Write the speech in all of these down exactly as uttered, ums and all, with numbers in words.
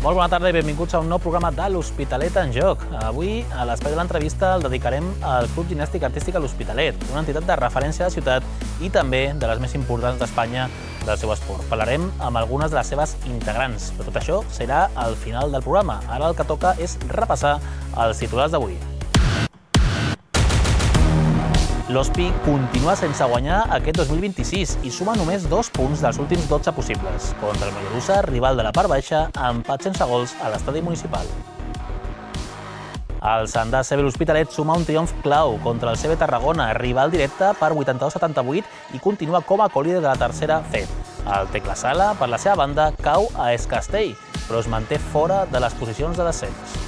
Molt bona tarda i benvinguts a un nou programa de l'Hospitalet en Joc. Avui, a l'espai de l'entrevista, el dedicarem al Club Gimnàstic Artístic a l'Hospitalet, una entitat de referència a la ciutat i també de les més importants d'Espanya del seu esport. Parlarem amb algunes de les seves integrants, però tot això serà al final del programa. Ara el que toca és repassar els titulars d'avui. L'Hospi continua sense guanyar aquest dos mil vint-i-sis i suma només dos punts dels últims dotze possibles. Contra el Mollerussa, rival de la part baixa, empat sense gols a l'estadi municipal. El Sandà C B l'Hospitalet suma un triomf clau contra el C B Tarragona, rival directe per vuitanta-dos a setanta-vuit i continua com a colíder de la tercera F E D. El Tecla Sala, per la seva banda, cau a Es Castell, però es manté fora de les posicions de descens.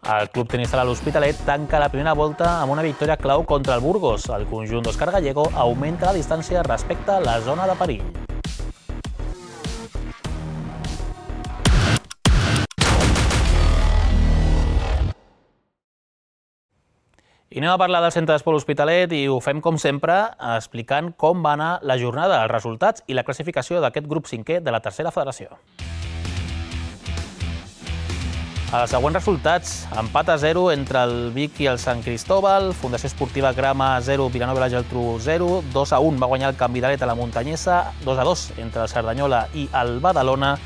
El Club Tenis Sala l'Hospitalet tanca la primera volta amb una victòria clau contra el Burgos. El conjunt d'Òscar Gallego augmenta la distància respecte a la zona de perill. I anem a parlar del Centre d'Esport L'Hospitalet i ho fem, com sempre, explicant com va anar la jornada, els resultats i la classificació d'aquest grup cinquè de la tercera federació. Els següents resultats: empat a zero entre el Vic i el Sant Cristóbal, Fundació Esportiva Grama zero, Vilanova i la Geltrú zero, dos a un va guanyar el Canvidalet a la Muntanyesa, dos a dos entre el Cerdanyola i el Badalona,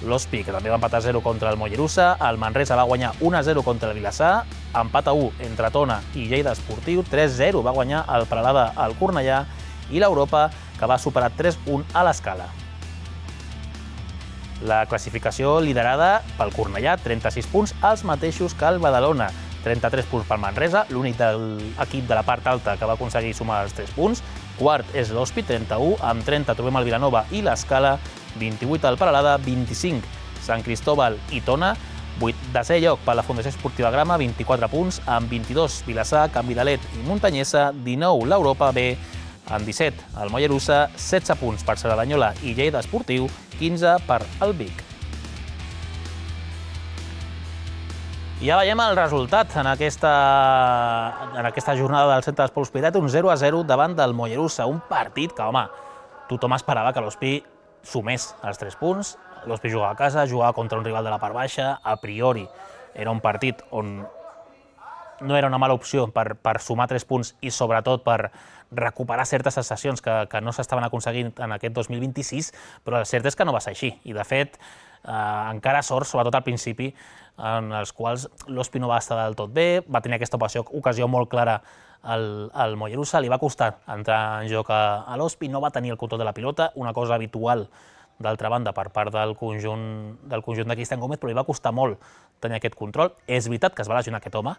l'Hospi, que també va empatar a zero contra el Mollerussa, el Manresa va guanyar un a zero contra el Vilassar, empat a u entre Tona i Lleida Esportiu, tres a zero va guanyar el Peralada al Cornellà i l'Europa, que va superar tres a un a l'Escala. La classificació liderada pel Cornellà, trenta-sis punts, els mateixos que el Badalona, trenta-tres punts pel Manresa, l'únic de l'equip de la part alta que va aconseguir sumar els tres punts. Quart és l'Hospi, trenta-u, amb trenta trobem el Vilanova i l'Escala, vint-i-vuit el Peralada, vint-i-cinc Sant Cristóbal i Tona, desè lloc per la Fundació Esportiva Grama, vint-i-quatre punts, amb vint-i-dos Vilassar, Canvidalet i Muntanyesa, dinou l'Europa B, amb disset el Mollerussa, setze punts per Cerdanyola i Lleida Esportiu, quinze per el Vic. I ja veiem el resultat en aquesta, en aquesta jornada del Centre d'Esport L'Hospitalet, un zero a zero davant del Mollerussa, un partit que, home, tothom esperava que l'Hospi sumés els tres punts. L'Hospi jugava a casa, jugava contra un rival de la part baixa, a priori era un partit on no era una mala opció per, per sumar tres punts i sobretot per recuperar certes sensacions que, que no s'estaven aconseguint en aquest dos mil vint-i-sis, però el cert és que no va ser així. I de fet, eh, encara sort, sobretot al principi, en els quals l'Hospi no va estar del tot bé, va tenir aquesta ocasió, ocasió molt clara al, al Mollerussa, li va costar entrar en joc a, a l'Hospi, no va tenir el control de la pilota, una cosa habitual d'altra banda per part del conjunt, del conjunt de Cristian Gómez, però li va costar molt tenir aquest control. És veritat que es va lesionar aquest home,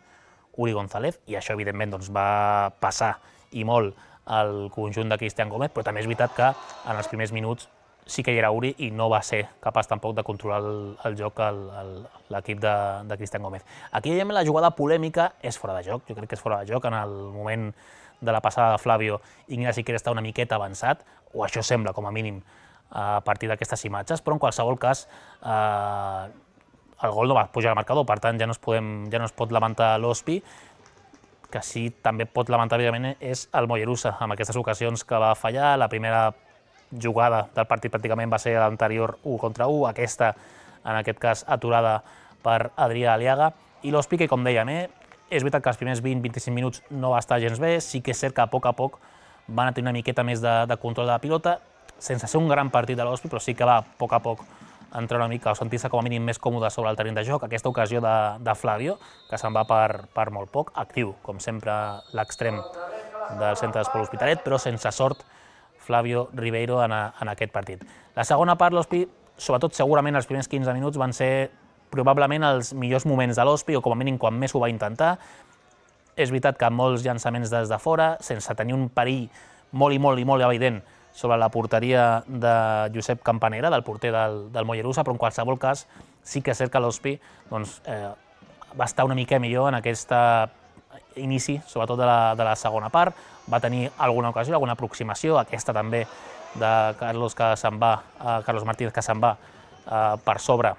Uri González, i això evidentment doncs, va passar i molt al conjunt de Cristian Gómez, però també és veritat que en els primers minuts sí que hi era Uri i no va ser capaç tampoc de controlar el, el joc l'equip de, de Cristian Gómez. Aquí veiem la jugada polèmica, és fora de joc, jo crec que és fora de joc en el moment de la passada de Flavio. Ignasi Siquera està una miqueta avançat, o això sembla com a mínim a partir d'aquestes imatges, però en qualsevol cas eh, el gol no va pujar al marcador, per tant ja no es, podem, ja no es pot lamentar l'Hospi. Que sí també pot lamentar, evidentment, és el Mollerussa, amb aquestes ocasions que va fallar. La primera jugada del partit pràcticament va ser l'anterior u contra u, aquesta, en aquest cas, aturada per Adrià Aliaga. I l'Hospi, que com dèiem, eh, és veritat que els primers vint a vint-i-cinc minuts no va estar gens bé, sí que és cert que a poc a poc van tenir una miqueta més de, de control de la pilota, sense ser un gran partit de l'Hospi, però sí que va a poc a poc entrar una mica o sentir-se com a mínim més còmode sobre el terreny de joc. Aquesta ocasió de, de Flavio, que se'n va per, per molt poc, actiu, com sempre, l'extrem del Centre d'Esport L'Hospitalet, però sense sort Flavio Ribeiro en, a, en aquest partit. La segona part, l'Hospi, sobretot segurament els primers quinze minuts, van ser probablement els millors moments de l'Hospi, o com a mínim quan més ho va intentar. És veritat que molts llançaments des de fora, sense tenir un perill molt i molt i molt evident sobre la porteria de Josep Campanera, del porter del, del Mollerussa, però en qualsevol cas sí que és cert que l'Hospi doncs, eh, va estar una mica millor en aquest inici, sobretot de la, de la segona part. Va tenir alguna ocasió, alguna aproximació, aquesta també de Carlos, que se'n va, eh, Carlos Martínez, que se'n va eh, per sobre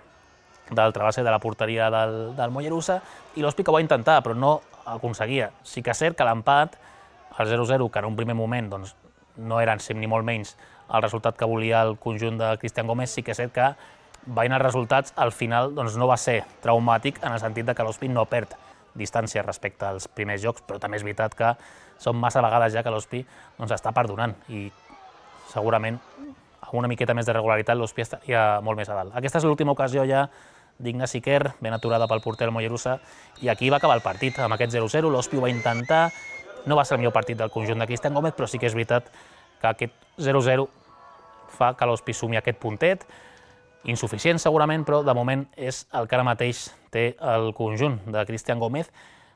d'altra base de la porteria del, del Mollerussa, i l'Hospi que ho va intentar, però no aconseguia. Sí que és cert que l'empat, el zero a zero, que en un primer moment doncs, no era ni molt menys el resultat que volia el conjunt de Cristian Gómez, sí que és cert que veient els resultats, al final doncs, no va ser traumàtic en el sentit de que l'Hospi no perd distància respecte als primers jocs, però també és veritat que són massa vegades ja que l'Hospi doncs, està perdonant i segurament amb una miqueta més de regularitat l'Hospi estaria molt més a dalt. Aquesta és l'última ocasió ja d'Ignasi Quer, ben aturada pel porter del Mollerussa, i aquí va acabar el partit amb aquest zero zero. L'Hospi ho va intentar, no va ser el millor partit del conjunt de Cristian Gómez, però sí que és veritat que aquest zero zero fa que l'Hospi sumi aquest puntet, insuficient segurament, però de moment és el que ara mateix té el conjunt de Cristian Gómez,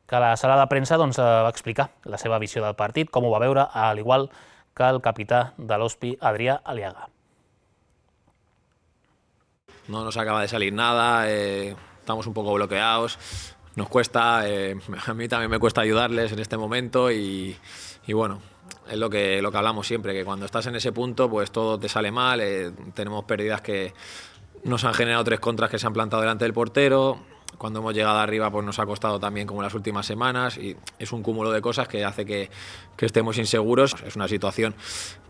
que a la sala de premsa doncs, va explicar la seva visió del partit, com ho va veure, al igual que el capità de l'Hospi, Adrià Aliaga. No nos acaba de salir nada, eh, estamos un poco bloqueados, nos cuesta, eh, a mí también me cuesta ayudarles en este momento y, y bueno, es lo que, lo que hablamos siempre, que cuando estás en ese punto pues todo te sale mal, eh, tenemos pérdidas que nos han generado tres contras que se han plantado delante del portero, cuando hemos llegado arriba pues nos ha costado también como las últimas semanas y es un cúmulo de cosas que hace que, que estemos inseguros. Es una situación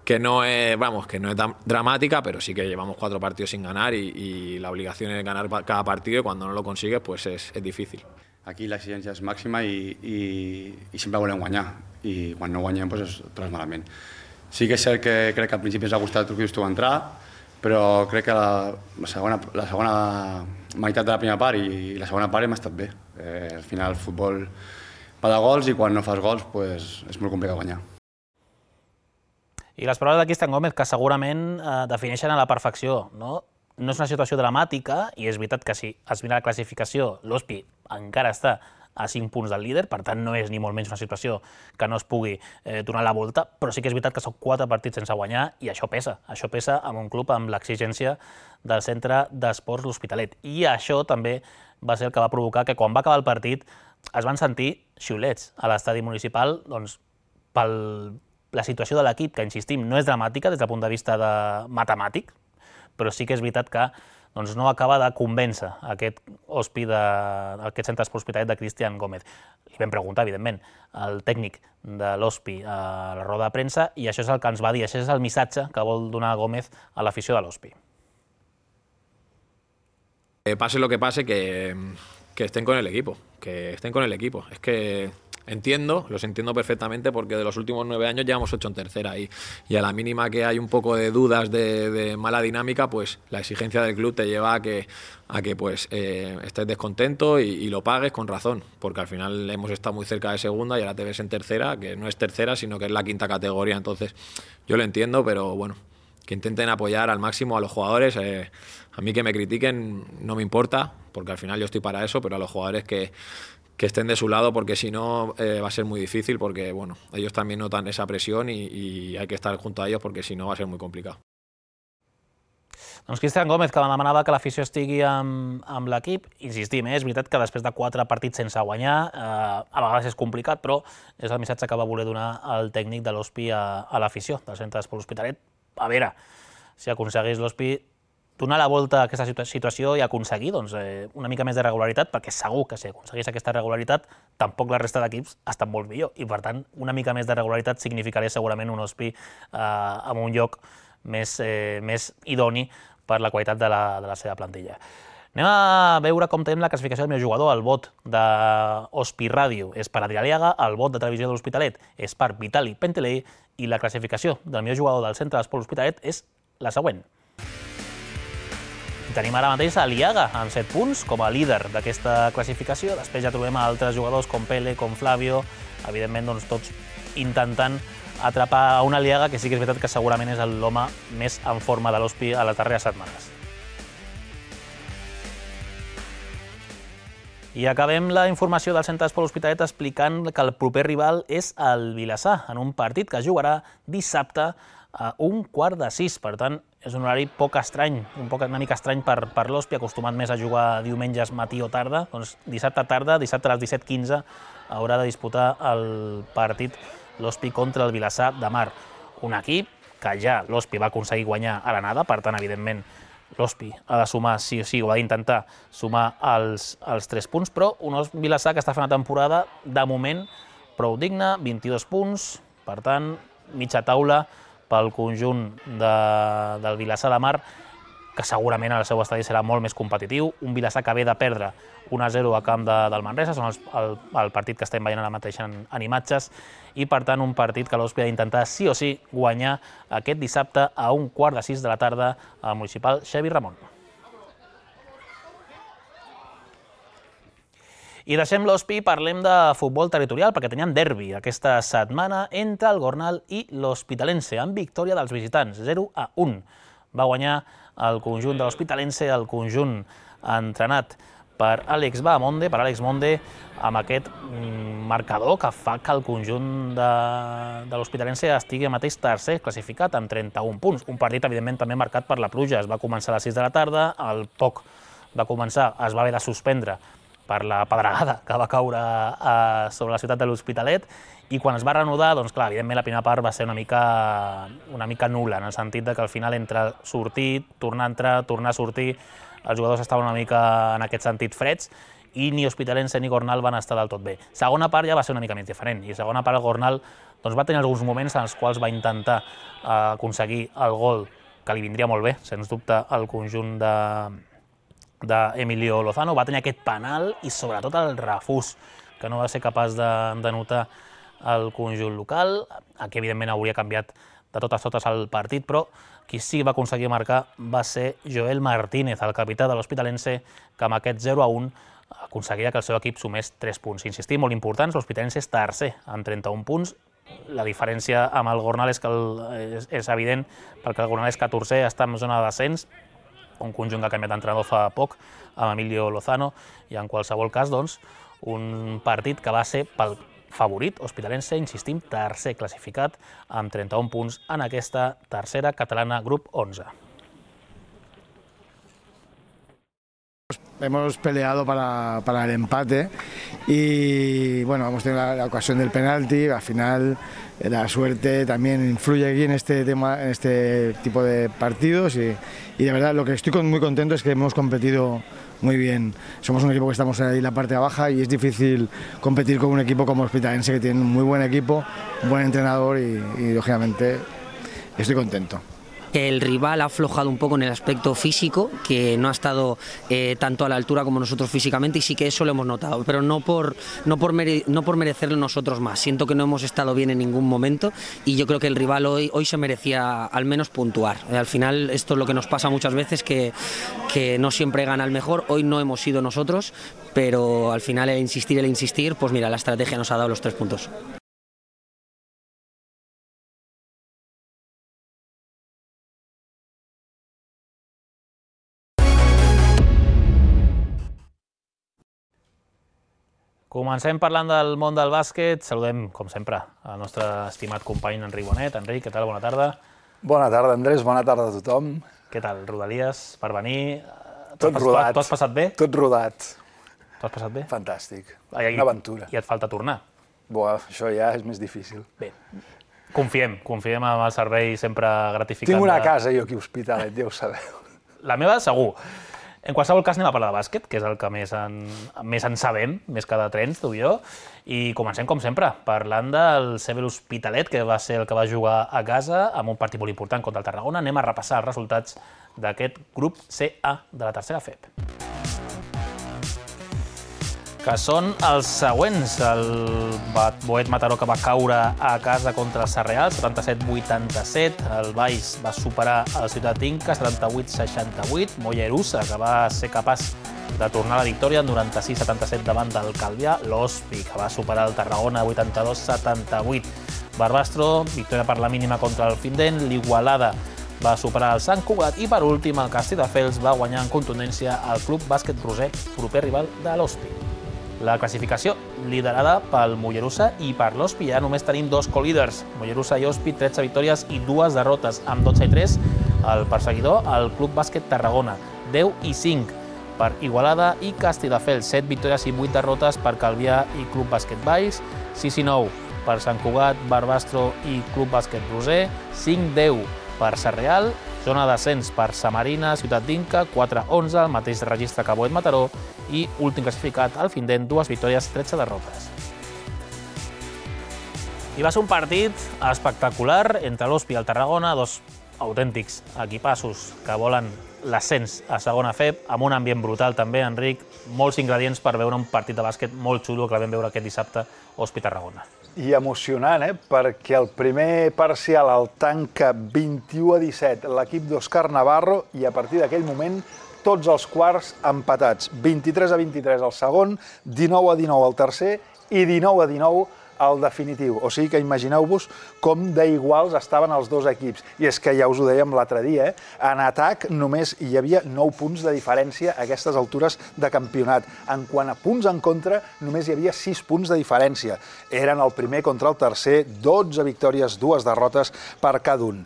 que no es, vamos, que no es tan dramática, pero sí que llevamos cuatro partidos sin ganar y, y la obligación es ganar cada partido y cuando no lo consigues pues es, es difícil. Aquí l'exigència és màxima i, i, i sempre volem guanyar i quan no guanyem doncs és tot malament. Sí que és cert que crec que al principi ens ha costat el que tu entrar, però crec que la, la, segona, la segona meitat de la primera part i la segona part hem estat bé. Eh, al final el futbol va de gols i quan no fas gols pues, és molt complicat guanyar. I les paraules de Cristian Gómez que segurament eh, defineixen a la perfecció, no? No és una situació dramàtica i és veritat que si es mira la classificació, l'Hospi encara està a cinc punts del líder, per tant no és ni molt menys una situació que no es pugui eh, donar la volta, però sí que és veritat que són quatre partits sense guanyar i això pesa. Això pesa amb un club amb l'exigència del Centre d'Esports L'Hospitalet. I això també va ser el que va provocar que quan va acabar el partit es van sentir xiulets a l'estadi municipal doncs, per la situació de l'equip, que insistim, no és dramàtica des del punt de vista de matemàtic, però sí que és veritat que doncs, no acaba de convèncer aquest Hospi, de, aquest Centre d'Esports L'Hospitalet de Cristian Gómez. Li vam preguntar, evidentment, al tècnic de l'Hospi a la roda de premsa i això és el que ens va dir, això és el missatge que vol donar Gómez a l'afició de l'Hospi. Eh, pase lo que pase, que, que estén con el equipo, que estén con el equipo. Es que entiendo, los entiendo perfectamente porque de los últimos nueve años llevamos ocho en tercera y, y a la mínima que hay un poco de dudas de, de mala dinámica, pues la exigencia del club te lleva a que, a que pues, eh, estés descontento y, y lo pagues con razón, porque al final hemos estado muy cerca de segunda y ahora te ves en tercera, que no es tercera sino que es la quinta categoría, entonces yo lo entiendo, pero bueno, que intenten apoyar al máximo a los jugadores. Eh, a mí que me critiquen no me importa, porque al final yo estoy para eso, pero a los jugadores que que estén de su lado, porque si no eh, va a ser muy difícil, porque bueno, ellos también notan esa presión y, y hay que estar junto a ellos porque si no va a ser muy complicado. Doncs Cristian Gómez, que demanava que l'afició estigui amb, amb l'equip, insistim, eh? És veritat que després de quatre partits sense guanyar, eh, a vegades és complicat, però és el missatge que va voler donar el tècnic de l'Hospi a, a l'afició del Centre d'Esports L'Hospitalet. A veure, si aconseguís l'Hospi donar la volta a aquesta situació i aconseguir doncs, eh, una mica més de regularitat, perquè segur que si aconseguís aquesta regularitat tampoc la resta d'equips estan molt millor i per tant una mica més de regularitat significaria segurament un Hospi eh, en un lloc més, eh, més idoni per la qualitat de la, de la seva plantilla. Anem a veure com tenim la classificació del meu jugador. El vot de Hospi Ràdio és per Adrià Aliaga, el vot de Televisió de l'Hospitalet és per Vitali Pentelei i la classificació del meu jugador del Centre d'Esports L'Hospitalet és la següent. Tenim ara mateix a Aliaga amb set punts com a líder d'aquesta classificació. Després ja trobem altres jugadors com Pele, com Flavio, evidentment doncs, tots intentant atrapar a un Aliaga que sí que és veritat que segurament és l'home més en forma de l'Hospi a les darreres setmanes. I acabem la informació del Centre d'Esports L'Hospitalet explicant que el proper rival és el Vilassar, en un partit que jugarà dissabte a un quart de sis. Per tant, és un horari poc estrany, un poc, una mica estrany per, per l'Hospi, acostumat més a jugar diumenges matí o tarda. Doncs dissabte tarda, dissabte a les disset quinze, haurà de disputar el partit l'Hospi contra el Vilassar de Mar. Un equip que ja l'Hospi va aconseguir guanyar a l'anada, per tant, evidentment, l'Hospi ha de sumar, sí o sí, o ha d'intentar sumar els, els tres punts, però un Vilassar que està fent una temporada, de moment, prou digna, vint-i-dos punts, per tant, mitja taula pel conjunt de, del Vilassar de Mar, que segurament el seu estadi serà molt més competitiu. Un Vilassar que ve de perdre un a zero a camp de, del Manresa, són els, el, el partit que estem veient ara mateix en, en imatges, i per tant un partit que l'Ospi ha d'intentar sí o sí guanyar aquest dissabte a un quart de sis de la tarda al municipal Xavi Ramon. I deixem l'Ospi i parlem de futbol territorial, perquè teníem derbi aquesta setmana entre el Gornal i l'Hospitalense, amb victòria dels visitants, zero a un. Va guanyar el conjunt de l'Hospitalense, el conjunt entrenat per Àlex Bahamonde, per Àlex Monde, amb aquest marcador que fa que el conjunt de, de l'Hospitalense estigui mateix tercer classificat amb trenta-un punts. Un partit, evidentment, també marcat per la pluja. Es va començar a les sis de la tarda, al poc de començar es va haver de suspendre per la pedregada que va caure a, sobre la ciutat de l'Hospitalet, i quan es va reanudar, doncs clar, evidentment la primera part va ser una mica, una mica nul·la, en el sentit de que al final entre sortir, tornar a entrar, tornar a sortir, els jugadors estaven una mica en aquest sentit freds, i ni Hospitalense ni Gornal van estar del tot bé. Segona part ja va ser una mica més diferent, i segona part el Gornal doncs, va tenir alguns moments en els quals va intentar eh, aconseguir el gol que li vindria molt bé, sens dubte, al conjunt de d'Emilio Lozano. Va tenir aquest penal i sobretot el refús, que no va ser capaç de, de notar el conjunt local, que evidentment hauria canviat de totes totes el partit, però qui sí va aconseguir marcar va ser Joel Martínez, el capità de l'Hospitalense, que amb aquest zero a un aconseguia que el seu equip sumés tres punts. Insistim, molt importants, l'Hospitalense és tercer amb trenta-un punts. La diferència amb el Gornal és, que el, és, és evident, perquè el Gornal és catorzè, està en zona de descens, un conjunt que ha canviat d'entrenador fa poc, amb Emilio Lozano, i en qualsevol cas, doncs, un partit que va ser pel favorit, Hospitalense, insistim, tercer classificat, amb trenta-un punts en aquesta tercera catalana, grup onze. Hemos peleado para, para el empate y bueno, hemos tenido la, la ocasión del penalti. Al final la suerte también influye aquí en este tema, en este tipo de partidos y, y de verdad lo que estoy muy contento es que hemos competido muy bien. Somos un equipo que estamos ahí en la parte baja y es difícil competir con un equipo como Hospitalense, que tiene un muy buen equipo, un buen entrenador y, y lógicamente estoy contento. El rival ha aflojado un poco en el aspecto físico, que no ha estado eh, tanto a la altura como nosotros físicamente, y sí que eso lo hemos notado, pero no por, no por, mere, no por merecerlo nosotros más. Siento que no hemos estado bien en ningún momento y yo creo que el rival hoy, hoy se merecía al menos puntuar. Eh, al final esto es lo que nos pasa muchas veces, que, que no siempre gana el mejor. Hoy no hemos sido nosotros, pero al final el insistir, el insistir, pues mira, la estrategia nos ha dado los tres puntos. Comencem parlant del món del bàsquet. Saludem, com sempre, el nostre estimat company Enric Bonet. Enric, què tal? Bona tarda. Bona tarda, Andrés. Bona tarda a tothom. Què tal, Rodalies, per venir? Tot rodat. T'ho has passat bé? Tot rodat. T'ho has passat bé? Fantàstic. Ai, Una aventura. I et falta tornar. Buah, això ja és més difícil. Bé, confiem, confiem en el servei sempre gratificant. Tinc una de... casa jo aquí a Hospitalet, ja ho sabeu. La meva, segur. En qualsevol cas, anem a parlar de bàsquet, que és el que més en, més en sabem, més que de trens, tu i jo, i comencem, com sempre, parlant del C B l'Hospitalet, que va ser el que va jugar a casa, amb un partit molt important contra el Tarragona. Anem a repassar els resultats d'aquest grup C A de la tercera F E P. Que són els següents. El Boet Mataró, que va caure a casa contra el Sarreal, setanta-set vuitanta-set. El Baix va superar el Ciutat Inca, setanta-vuit seixanta-vuit. Mollerussa, que va ser capaç de tornar a la victòria, noranta-sis setanta-set davant del Calvià. L'Hospi, que va superar el Tarragona, vuitanta-dos setanta-vuit. Barbastro, victòria per la mínima contra el Findent. L'Igualada va superar el Sant Cugat i, per últim, el Castelldefels va guanyar en contundència el Club Bàsquet Roser, proper rival de l'Hospi. La classificació liderada pel Mollerussa i per l'Hospi. Ja només tenim dos co-líders, Mollerussa i Hospi, tretze victòries i dues derrotes, amb dotze i tres. El perseguidor, el Club Bàsquet Tarragona, deu i cinc per Igualada i Castelldefels, set victòries i vuit derrotes per Calvià i Club Bàsquet Baix, sis i nou per Sant Cugat, Barbastro i Club Bàsquet Roser, cinc deu per Sarreal, zona d'ascens per Samarina, Ciutat d'Inca, quatre onze, el mateix registre que Boet Mataró, i últim classificat, el Findent, dues victòries, tretze derrotes. I va ser un partit espectacular entre l'Hospi i el Tarragona, dos autèntics equipassos que volen l'ascens a segona F E B, amb un ambient brutal també, Enric, molts ingredients per veure un partit de bàsquet molt xulo que el vam veure aquest dissabte a Hospitalet Tarragona. I emocionant, eh? Perquè el primer parcial el tanca vint-i-u a disset l'equip d'Òscar Navarro i a partir d'aquell moment tots els quarts empatats. vint-i-tres a vint-i-tres el segon, dinou a dinou el tercer i dinou a dinou el definitiu. O sigui que imagineu-vos com d'iguals estaven els dos equips. I és que ja us ho dèiem l'altre dia, eh? En atac només hi havia nou punts de diferència a aquestes altures de campionat. En quant a punts en contra, només hi havia sis punts de diferència. Eren el primer contra el tercer, dotze victòries, dues derrotes per cada un.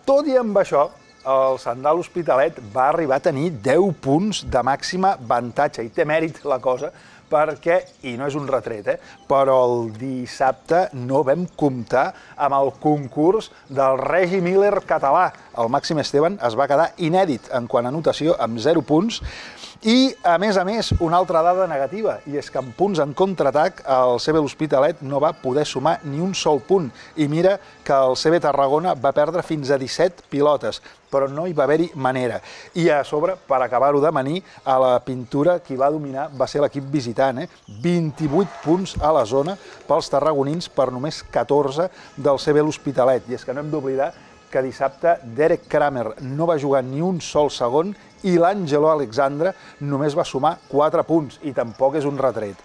Tot i amb això, el Sandal Hospitalet va arribar a tenir deu punts de màxima avantatge. I té mèrit la cosa, perquè, i no és un retret, eh, però el dissabte no vam comptar amb el concurs del Regi Miller català. El Màxim Esteban es va quedar inèdit en quant a anotació amb zero punts i, a més a més, una altra dada negativa, i és que en punts en contraatac el C B l'Hospitalet no va poder sumar ni un sol punt. I mira que el C B Tarragona va perdre fins a disset pilotes, però no hi va haver-hi manera. I a sobre, per acabar-ho d'amanir, a la pintura qui va dominar va ser l'equip visitant, eh? vint-i-vuit punts a la zona pels tarragonins per només catorze del C B l'Hospitalet. I és que no hem d'oblidar que dissabte Derek Kramer no va jugar ni un sol segon i l'Àngelo Alexandre només va sumar quatre punts, i tampoc és un retret.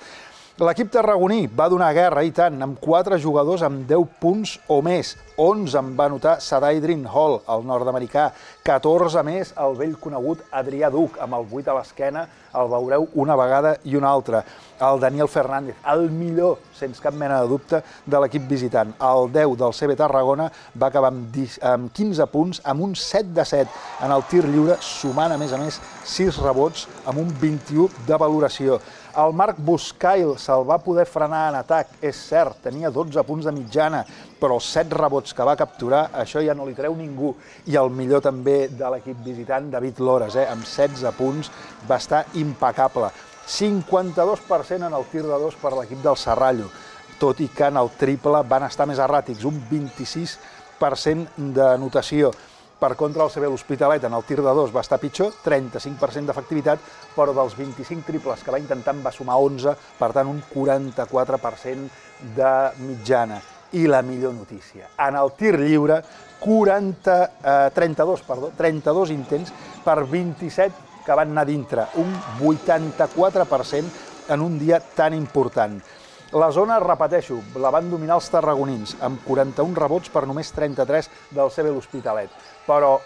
L'equip tarragoní va donar guerra, i tant, amb quatre jugadors amb deu punts o més. onze en va anotar Sadai Dream Hall, el nord-americà, catorze més el vell conegut Adrià Duc, amb el vuit a l'esquena, el veureu una vegada i una altra. El Daniel Fernández, el millor, sense cap mena de dubte, de l'equip visitant. El deu del C B Tarragona va acabar amb quinze punts, amb un set de set en el tir lliure, sumant, a més a més, sis rebots amb un vint-i-u de valoració. El Marc Buscail se'l va poder frenar en atac, és cert, tenia dotze punts de mitjana, però els set rebots que va capturar, això ja no li treu ningú. I el millor també de l'equip visitant, David Lores, eh, amb setze punts, va estar impecable. cinquanta-dos per cent en el tir de dos per l'equip del Serrallo, tot i que en el triple van estar més erràtics, un vint-i-sis per cent d'anotació. Per contra, el C B l'Hospitalet en el tir de dos va estar pitjor, trenta-cinc per cent d'efectivitat, però dels vint-i-cinc triples que va intentar en va sumar onze, per tant un quaranta-quatre per cent de mitjana. I la millor notícia, en el tir lliure, quaranta, eh, trenta-dos, perdó, trenta-dos intents per vint-i-set que van anar dintre, un vuitanta-quatre per cent en un dia tan important. La zona, repeteixo, la van dominar els tarragonins, amb quaranta-un rebots per només trenta-tres del C B l'Hospitalet. Però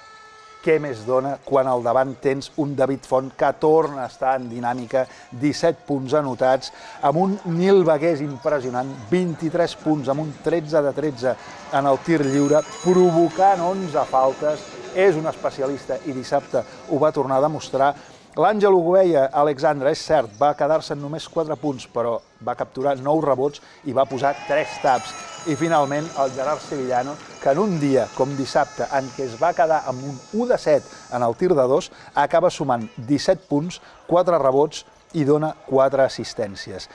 què més dona quan al davant tens un David Font que torna a estar en dinàmica, disset punts anotats, amb un Nil Bagués impressionant, vint-i-tres punts, amb un tretze de tretze en el tir lliure, provocant onze faltes, és un especialista i dissabte ho va tornar a demostrar. L'Àngel Ugueia, Alexandre, és cert, va quedar-se en només quatre punts, però va capturar nou rebots i va posar tres taps. I finalment el Gerard Sevillano, que en un dia com dissabte, en què es va quedar amb un u de set en el tir de dos, acaba sumant disset punts, quatre rebots i dona quatre assistències.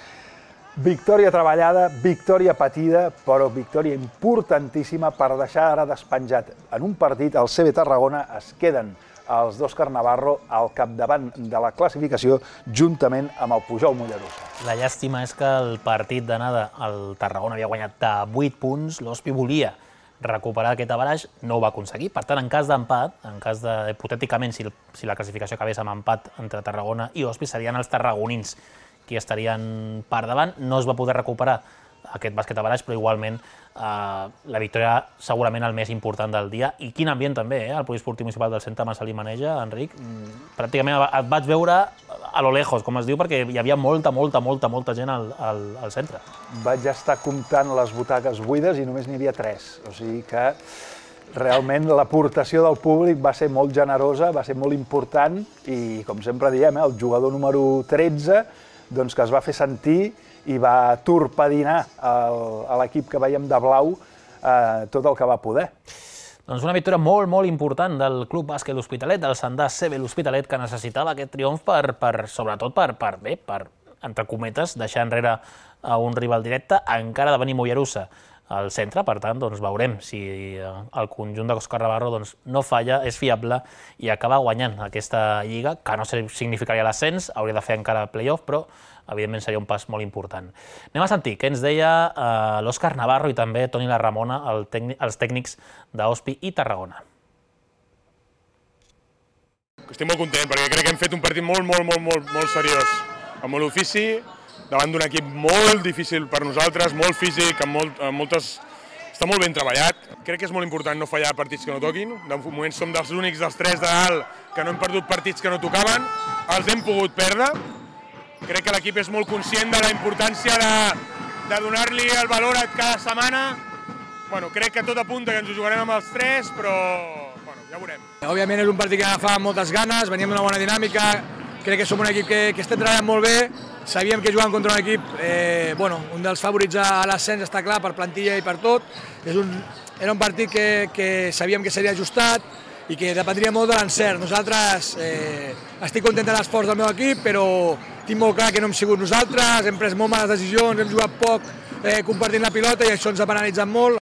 Victòria treballada, victòria patida, però victòria importantíssima per deixar ara despenjat en un partit. El C B Tarragona es queden els d'Òscar Navarro al capdavant de la classificació juntament amb el Pujol Mollerussa. La llàstima és que el partit d'anada el Tarragona havia guanyat de vuit punts, l'Hospi volia recuperar aquest averaix, no ho va aconseguir. Per tant, en cas d'empat, en cas de, hipotèticament, si, el, si la classificació acabés amb empat entre Tarragona i Hospi, serien els tarragonins qui estarien per davant. No es va poder recuperar aquest bàsquet averaix, però igualment eh, la victòria segurament el més important del dia. I quin ambient també, eh? El poliesportiu municipal del Centre Marcelí Maneja, Enric. Pràcticament et vaig veure a lo lejos, com es diu, perquè hi havia molta, molta, molta, molta gent al, al, al centre. Vaig estar comptant les butaques buides i només n'hi havia tres. O sigui que realment l'aportació del públic va ser molt generosa, va ser molt important i, com sempre diem, eh, el jugador número tretze doncs, que es va fer sentir i va torpedinar el, a l'equip que veiem de blau eh, tot el que va poder. Doncs una victòria molt, molt important del Club Bàsquet L'Hospitalet, del Sandà C B L'Hospitalet, que necessitava aquest triomf per, per sobretot per, per, bé, per, entre cometes, deixar enrere a un rival directe, encara de venir Mollerussa al centre, per tant, doncs veurem si el conjunt d'Òscar Navarro doncs, no falla, és fiable i acaba guanyant aquesta lliga, que no significaria l'ascens, hauria de fer encara play-off, però evidentment seria un pas molt important. Anem a sentir què ens deia eh, l'Òscar Navarro i també Toni La Ramona, el tècnic, els tècnics d'Ospi i Tarragona. Estic molt content perquè crec que hem fet un partit molt, molt, molt, molt, molt seriós, amb molt ofici, davant d'un equip molt difícil per nosaltres, molt físic, amb, molt, amb moltes... Està molt ben treballat. Crec que és molt important no fallar partits que no toquin. De moment som dels únics dels tres de dalt que no hem perdut partits que no tocaven. Els hem pogut perdre. Crec que l'equip és molt conscient de la importància de, de donar-li el valor a cada setmana. Bueno, crec que tot apunta que ens ho jugarem amb els tres, però bueno, ja veurem. Òbviament és un partit que agafàvem moltes ganes, veníem d'una bona dinàmica, crec que som un equip que, que estem treballant molt bé, sabíem que jugàvem contra un equip, eh, bueno, un dels favorits a l'ascens, està clar, per plantilla i per tot. És un, era un partit que, que sabíem que seria ajustat i que dependria molt de l'encert. Nosaltres, eh, estic content de l'esforç del meu equip, però tinc molt clar que no hem sigut nosaltres, hem pres molt males decisions, hem jugat poc eh, compartint la pilota i això ens ha penalitzat molt.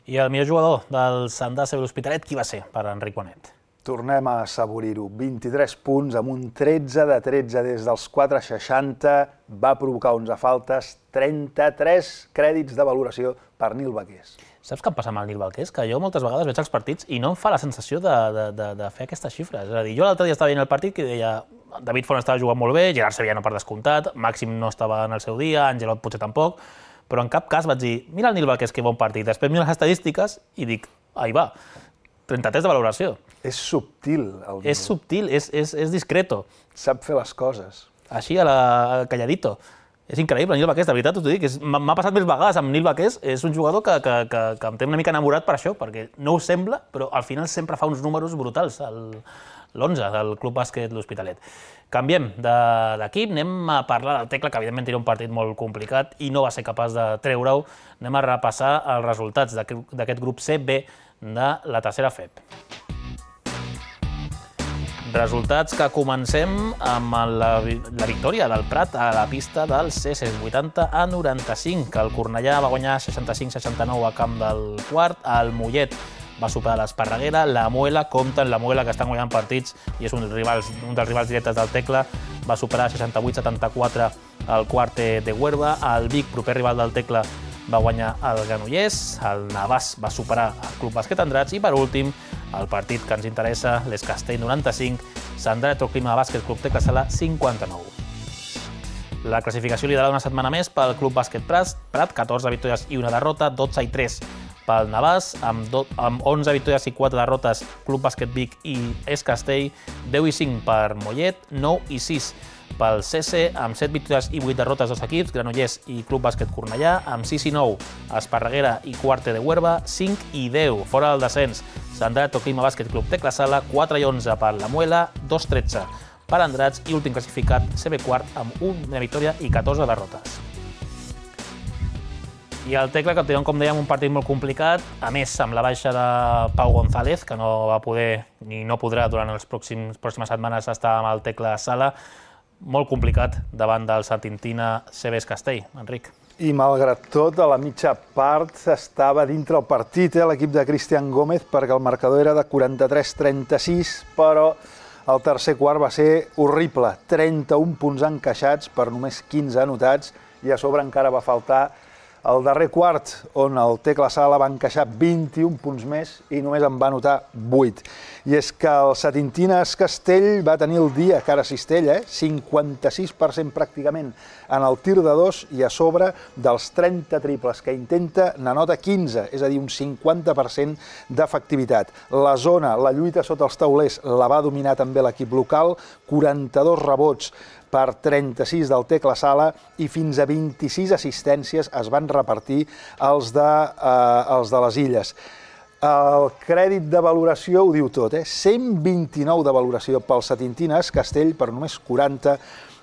I el millor jugador del Sant Dàcer l'Hospitalet, qui va ser per Enric Bonet? Tornem a assaborir-ho. vint-i-tres punts amb un tretze de tretze des dels quatre seixanta, va provocar onze faltes, trenta-tres crèdits de valoració per Nil Baqués. Saps què em passa amb el Nil Baqués? Que jo moltes vegades veig els partits i no em fa la sensació de, de, de, de fer aquestes xifres. És a dir, jo l'altre dia estava veient el partit i deia David Font estava jugant molt bé, Gerard Sevillano per descomptat, Màxim no estava en el seu dia, Angelot potser tampoc, però en cap cas vaig dir, mira el Nil Baqués que bon partit. Després miro les estadístiques i dic, ahí va, trenta-tres de valoració. És subtil, el Nil. És subtil, és, és, és discreto. Sap fer les coses. Així, a la a calladito. És increïble, el Nil Baqués, de veritat us ho dic. M'ha passat més vegades amb Nil Baqués, és un jugador que, que, que, que em té una mica enamorat per això, perquè no ho sembla, però al final sempre fa uns números brutals, l'onze del Club Bàsquet L'Hospitalet. Canviem d'equip, anem a parlar del Tecla, que evidentment era un partit molt complicat i no va ser capaç de treure-ho. Anem a repassar els resultats d'aquest grup C B de la tercera F E P. Resultats que comencem amb la, la victòria del Prat a la pista del C S, vuitanta a noranta-cinc. El Cornellà va guanyar seixanta-cinc seixanta-nou a camp del Quart, el Mollet va superar l'Esparreguera, la Muela, compten la Muela que estan guanyant partits i és un, rivals, un dels rivals directes del Tecla, va superar seixanta-vuit setanta-quatre al Quart de Huerva, el Vic, proper rival del Tecla, va guanyar el Granollers, el Navàs va superar el Club Bàsquet Andratx i per últim el partit que ens interessa, l'Es Castell noranta-cinc, Sant Clima Bàsquet Club Tecla Sala cinquanta-nou. La classificació liderada una setmana més pel Club Bàsquet Prat, catorze victòries i una derrota, dotze i tres pel Navàs, amb, amb onze victòries i quatre derrotes Club Bàsquet Vic i Es Castell, deu i cinc per Mollet, nou i sis pel C S, amb set victòries i vuit derrotes dos equips, Granollers i Club Bàsquet Cornellà, amb sis i nou Esparreguera i Quarte de Huerva, cinc i deu fora del descens, Sant Clima Bàsquet Club Tecla Sala, quatre i onze per la Muela, dos i tretze per Andratx i últim classificat C B Quart amb una victòria i catorze derrotes. I el Tecla, que tenen, com dèiem, un partit molt complicat, a més amb la baixa de Pau González, que no va poder ni no podrà durant les pròximes setmanes estar amb el Tecla Sala, molt complicat davant del Satintina C B Es Castell. Enric. I malgrat tot, a la mitja part estava dintre el partit eh, l'equip de Cristian Gómez, perquè el marcador era de quaranta-tres trenta-sis, però el tercer quart va ser horrible, trenta-un punts encaixats per només quinze anotats i a sobre encara va faltar el darrer quart, on el Tecla Sala va encaixar vint-i-un punts més i només en va anotar vuit. I és que el Satintina Es Castell va tenir el dia cara a cistella, eh? cinquanta-sis per cent pràcticament en el tir de dos i a sobre dels trenta triples que intenta n'anota quinze, és a dir, un cinquanta per cent d'efectivitat. La zona, la lluita sota els taulers la va dominar també l'equip local, quaranta-dos rebots per trenta-sis del Tecla Sala i fins a vint-i-sis assistències es van repartir els de, eh, els de les Illes. El crèdit de valoració ho diu tot, eh? cent vint-i-nou de valoració pel Satintina Es Castell per només quaranta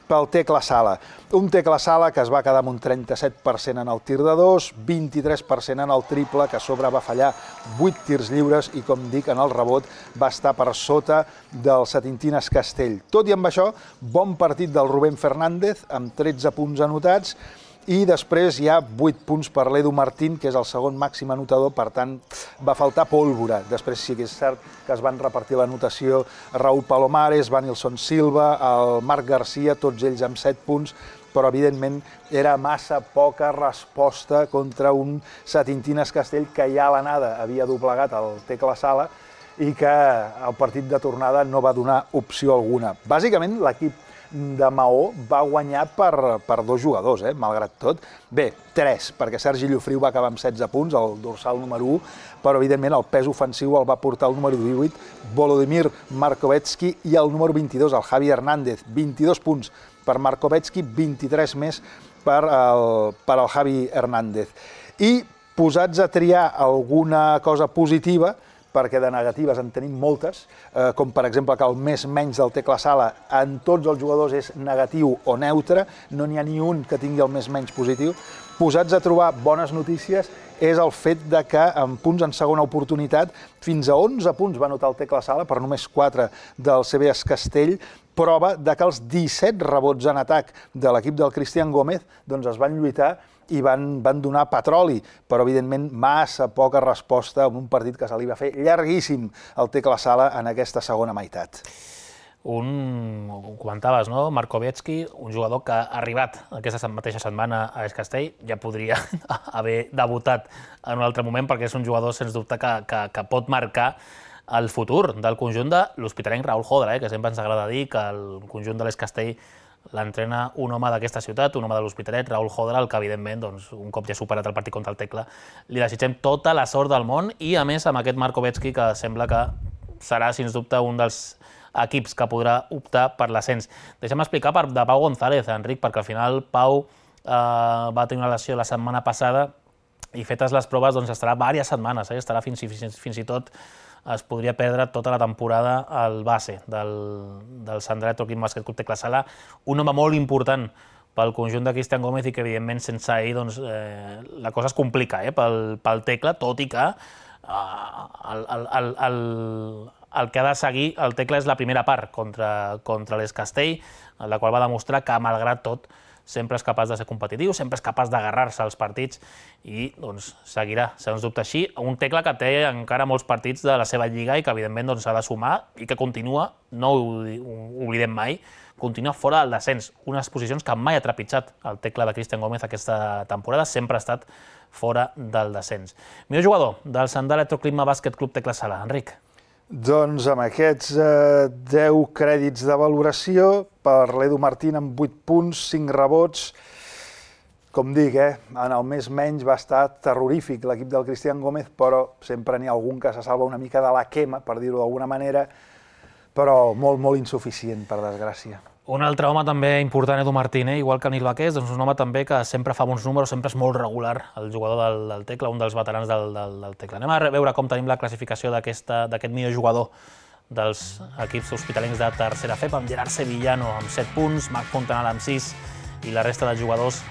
pel Tecla Sala. Un Tecla Sala que es va quedar amb un trenta-set per cent en el tir de dos, vint-i-tres per cent en el triple, que a sobre va fallar vuit tirs lliures i, com dic, en el rebot va estar per sota del Satintina Es Castell. Tot i amb això, bon partit del Rubén Fernández, amb tretze punts anotats, i després hi ha vuit punts per l'Edu Martín, que és el segon màxim anotador, per tant va faltar pólvora. Després sí que és cert que es van repartir l'anotació Raúl Palomares, Vanilson Silva, el Marc Garcia, tots ells amb set punts, però evidentment era massa poca resposta contra un Satintines Castell que ja a l'anada havia doblegat el Tecla Sala i que el partit de tornada no va donar opció alguna. Bàsicament l'equip de Maó va guanyar per, per dos jugadors, eh, malgrat tot. Bé, tres, perquè Sergi Llofriu va acabar amb setze punts, el dorsal número u, però evidentment el pes ofensiu el va portar el número divuit, Volodymyr Markovetsky, i el número vint-i-dos, el Javi Hernández, vint-i-dos punts per Markovetsky, vint-i-tres més per el, per el Javi Hernández. I posats a triar alguna cosa positiva, perquè de negatives en tenim moltes, eh, com per exemple que el més menys del Tecla Sala en tots els jugadors és negatiu o neutre, no n'hi ha ni un que tingui el més menys positiu. Posats a trobar bones notícies és el fet de que en punts en segona oportunitat fins a onze punts va anotar el Tecla Sala per només quatre del C B S Castell, prova de que els disset rebots en atac de l'equip del Cristian Gómez doncs es van lluitar i van, van donar petroli, però evidentment massa poca resposta en un partit que se li va fer llarguíssim al Tecla Sala en aquesta segona meitat. Un, ho comentaves, no? Markovetsky, un jugador que ha arribat aquesta mateixa setmana a Es Castell, ja podria haver debutat en un altre moment, perquè és un jugador, sens dubte, que, que, que pot marcar el futur del conjunt de l'hospitalenc Raúl Jodra, eh? Que sempre ens agrada dir que el conjunt de l'Es Castell l'entrena un home d'aquesta ciutat, un home de l'Hospitalet, Raúl Jodra, el que evidentment, doncs, un cop ja superat el partit contra el Tecla, li desitgem tota la sort del món i, a més, amb aquest Markovetsky, que sembla que serà, sens dubte, un dels equips que podrà optar per l'ascens. Deixa'm explicar per, de Pau González, Enric, perquè al final Pau eh, va tenir una lesió la setmana passada i fetes les proves doncs, estarà diverses setmanes, eh? Estarà fins i, fins, fins i tot es podria perdre tota la temporada al base del, del Sandret Club Bàsquet Club Tecla Sala, un home molt important pel conjunt de Cristian Gómez i que, evidentment, sense ell doncs, eh, la cosa es complica eh, pel, pel Tecla, tot i que eh, el, el, el, el, el que ha de seguir el Tecla és la primera part contra, contra l'Es Castell, en la qual va demostrar que, malgrat tot, sempre és capaç de ser competitiu, sempre és capaç d'agarrar-se als partits i doncs, seguirà, sens dubte així. Un Tecla que té encara molts partits de la seva lliga i que, evidentment, doncs, s'ha de sumar i que continua, no ho, ho oblidem mai, continua fora del descens. Unes posicions que mai ha trepitjat el Tecla de Cristian Gómez aquesta temporada, sempre ha estat fora del descens. Millor jugador del Sandà Electroclima Bàsquet Club Tecla Sala, Enric. Doncs amb aquests eh, deu crèdits de valoració, per l'Edu Martín amb vuit punts, cinc rebots. Com dic, eh, en el més menys va estar terrorífic l'equip del Cristian Gómez, però sempre n'hi ha algun que se salva una mica de la quema, per dir-ho d'alguna manera, però molt, molt insuficient, per desgràcia. Un altre home també important, Edu Martín, eh? Igual que Nil Baqués, doncs un home també que sempre fa bons números, sempre és molt regular, el jugador del, del Tecla, un dels veterans del, del, del Tecla. Anem a veure com tenim la classificació d'aquest millor jugador dels equips hospitalencs de tercera F E P, amb Gerard Sevillano amb set punts, Marc Fontanal amb sis i la resta de jugadors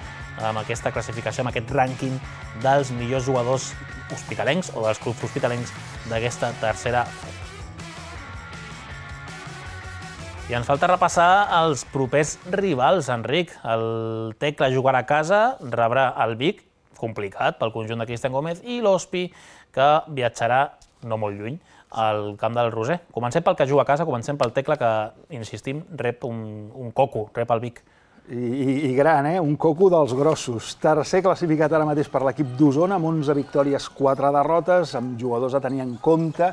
amb aquesta classificació, amb aquest rànquing dels millors jugadors hospitalencs o dels clubs hospitalencs d'aquesta tercera F E P. I ens falta repassar els propers rivals, Enric. El Tecla jugarà a casa, rebrà el Vic, complicat pel conjunt de Cristian Gómez, i l'Hospi, que viatjarà no molt lluny, al camp del Roser. Comencem pel que juga a casa, comencem pel Tecla, que, insistim, rep un, un coco, rep el Vic. I, i, i gran, eh? Un coco dels grossos. Tercer classificat ara mateix per l'equip d'Osona, amb onze victòries, quatre derrotes, amb jugadors a tenir en compte.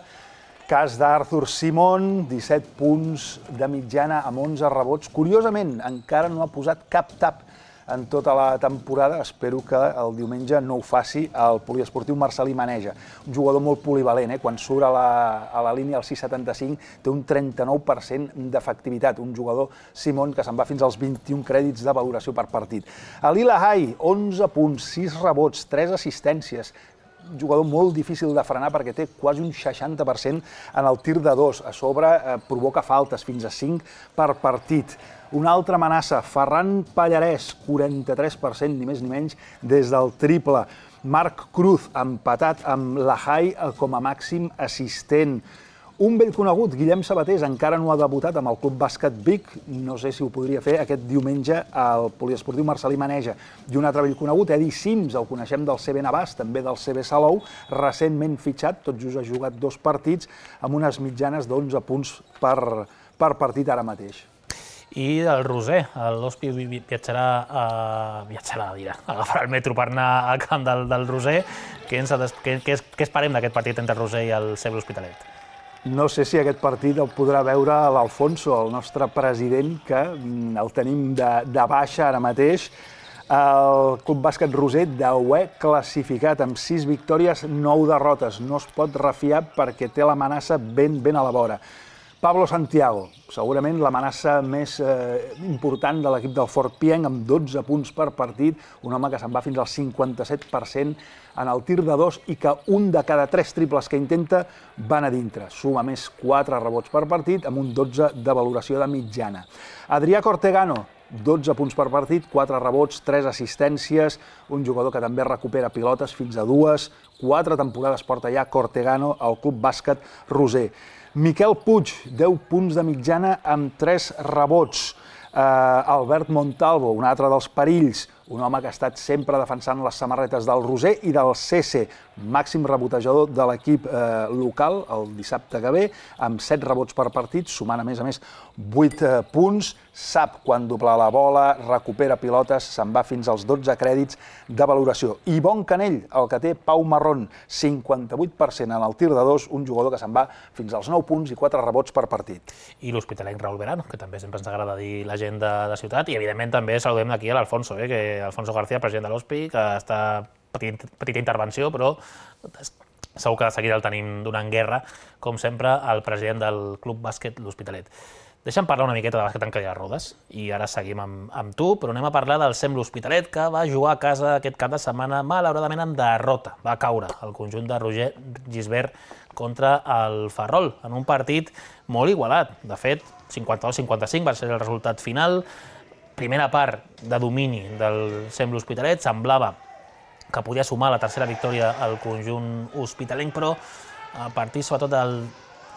Cas d'Arthur Simon, disset punts de mitjana amb onze rebots. Curiosament, encara no ha posat cap tap en tota la temporada. Espero que el diumenge no ho faci el poliesportiu Marcelí Maneja. Un jugador molt polivalent, eh? Quan surt a la, a la línia al sis setanta-cinc té un trenta-nou per cent d'efectivitat. Un jugador, Simon, que se'n va fins als vint-i-un crèdits de valoració per partit. Alila Hai, onze punts, sis rebots, tres assistències. Un jugador molt difícil de frenar perquè té quasi un seixanta per cent en el tir de dos. A sobre eh, provoca faltes, fins a cinc per partit. Una altra amenaça, Ferran Pallarès, quaranta-tres per cent, ni més ni menys, des del triple. Marc Cruz, empatat amb Lahai com a màxim assistent. Un vell conegut, Guillem Sabatés, encara no ha debutat amb el Club Bàsquet Vic. No sé si ho podria fer aquest diumenge al Poliesportiu Marcelí Maneja. I un altre vell conegut, Edi Sims, el coneixem del C B Navàs, també del C B Salou, recentment fitxat, tot just ha jugat dos partits, amb unes mitjanes d'onze punts per, per partit ara mateix. I del Roser, l'Hospi viatjarà, a, viatjarà, dirà, agafarà el metro per anar al camp del, del Roser. Què, ens, què, què, què esperem d'aquest partit entre el Roser i el C B L'Hospitalet? No sé si aquest partit el podrà veure l'Alfonso, el nostre president, que el tenim de, de baixa ara mateix. El Club Bàsquet Roser, deuè classificat amb sis victòries, nou derrotes. No es pot refiar perquè té l'amenaça ben, ben a la vora. Pablo Santiago, segurament l'amenaça més eh, important de l'equip del Fort Pienc, amb dotze punts per partit, un home que se'n va fins al cinquanta-set per cent en el tir de dos i que un de cada tres triples que intenta van a dintre. Suma més quatre rebots per partit, amb un dotze de valoració de mitjana. Adrià Cortegano, dotze punts per partit, quatre rebots, tres assistències, un jugador que també recupera pilotes fins a dues, quatre temporades porta ja Cortegano al Club Bàsquet Roser. Miquel Puig, deu punts de mitjana amb tres rebots. Uh, Albert Montalvo, un altre dels perills, un home que ha estat sempre defensant les samarretes del Roser i del C C, màxim rebotejador de l'equip eh, local el dissabte que ve, amb set rebots per partit, sumant a més a més vuit eh, punts, sap quan doblar la bola, recupera pilotes, se'n va fins als dotze crèdits de valoració. I bon canell, el que té Pau Marrón, cinquanta-vuit per cent en el tir de dos, un jugador que se'n va fins als nou punts i quatre rebots per partit. I l'hospitalenc Raúl Verano, que també sempre ens agrada dir la gent de, de ciutat, i evidentment també saludem d'aquí a l'Alfonso, eh, que Alfonso García, president de l'Hospi, que està petit, petita intervenció, però segur que de seguida el tenim donant guerra, com sempre, al president del Club Bàsquet L'Hospitalet. Deixa'm parlar una miqueta de bàsquet en cadira de rodes, i ara seguim amb, amb tu, però anem a parlar del C E M L'Hospitalet, que va jugar a casa aquest cap de setmana, malauradament en derrota. Va caure el conjunt de Roger Gisbert contra el Ferrol, en un partit molt igualat. De fet, cinquanta-dos a cinquanta-cinc va ser el resultat final. Primera part de domini del C E M L'Hospitalet, semblava que podia sumar la tercera victòria al conjunt hospitalenc, però a partir sobretot de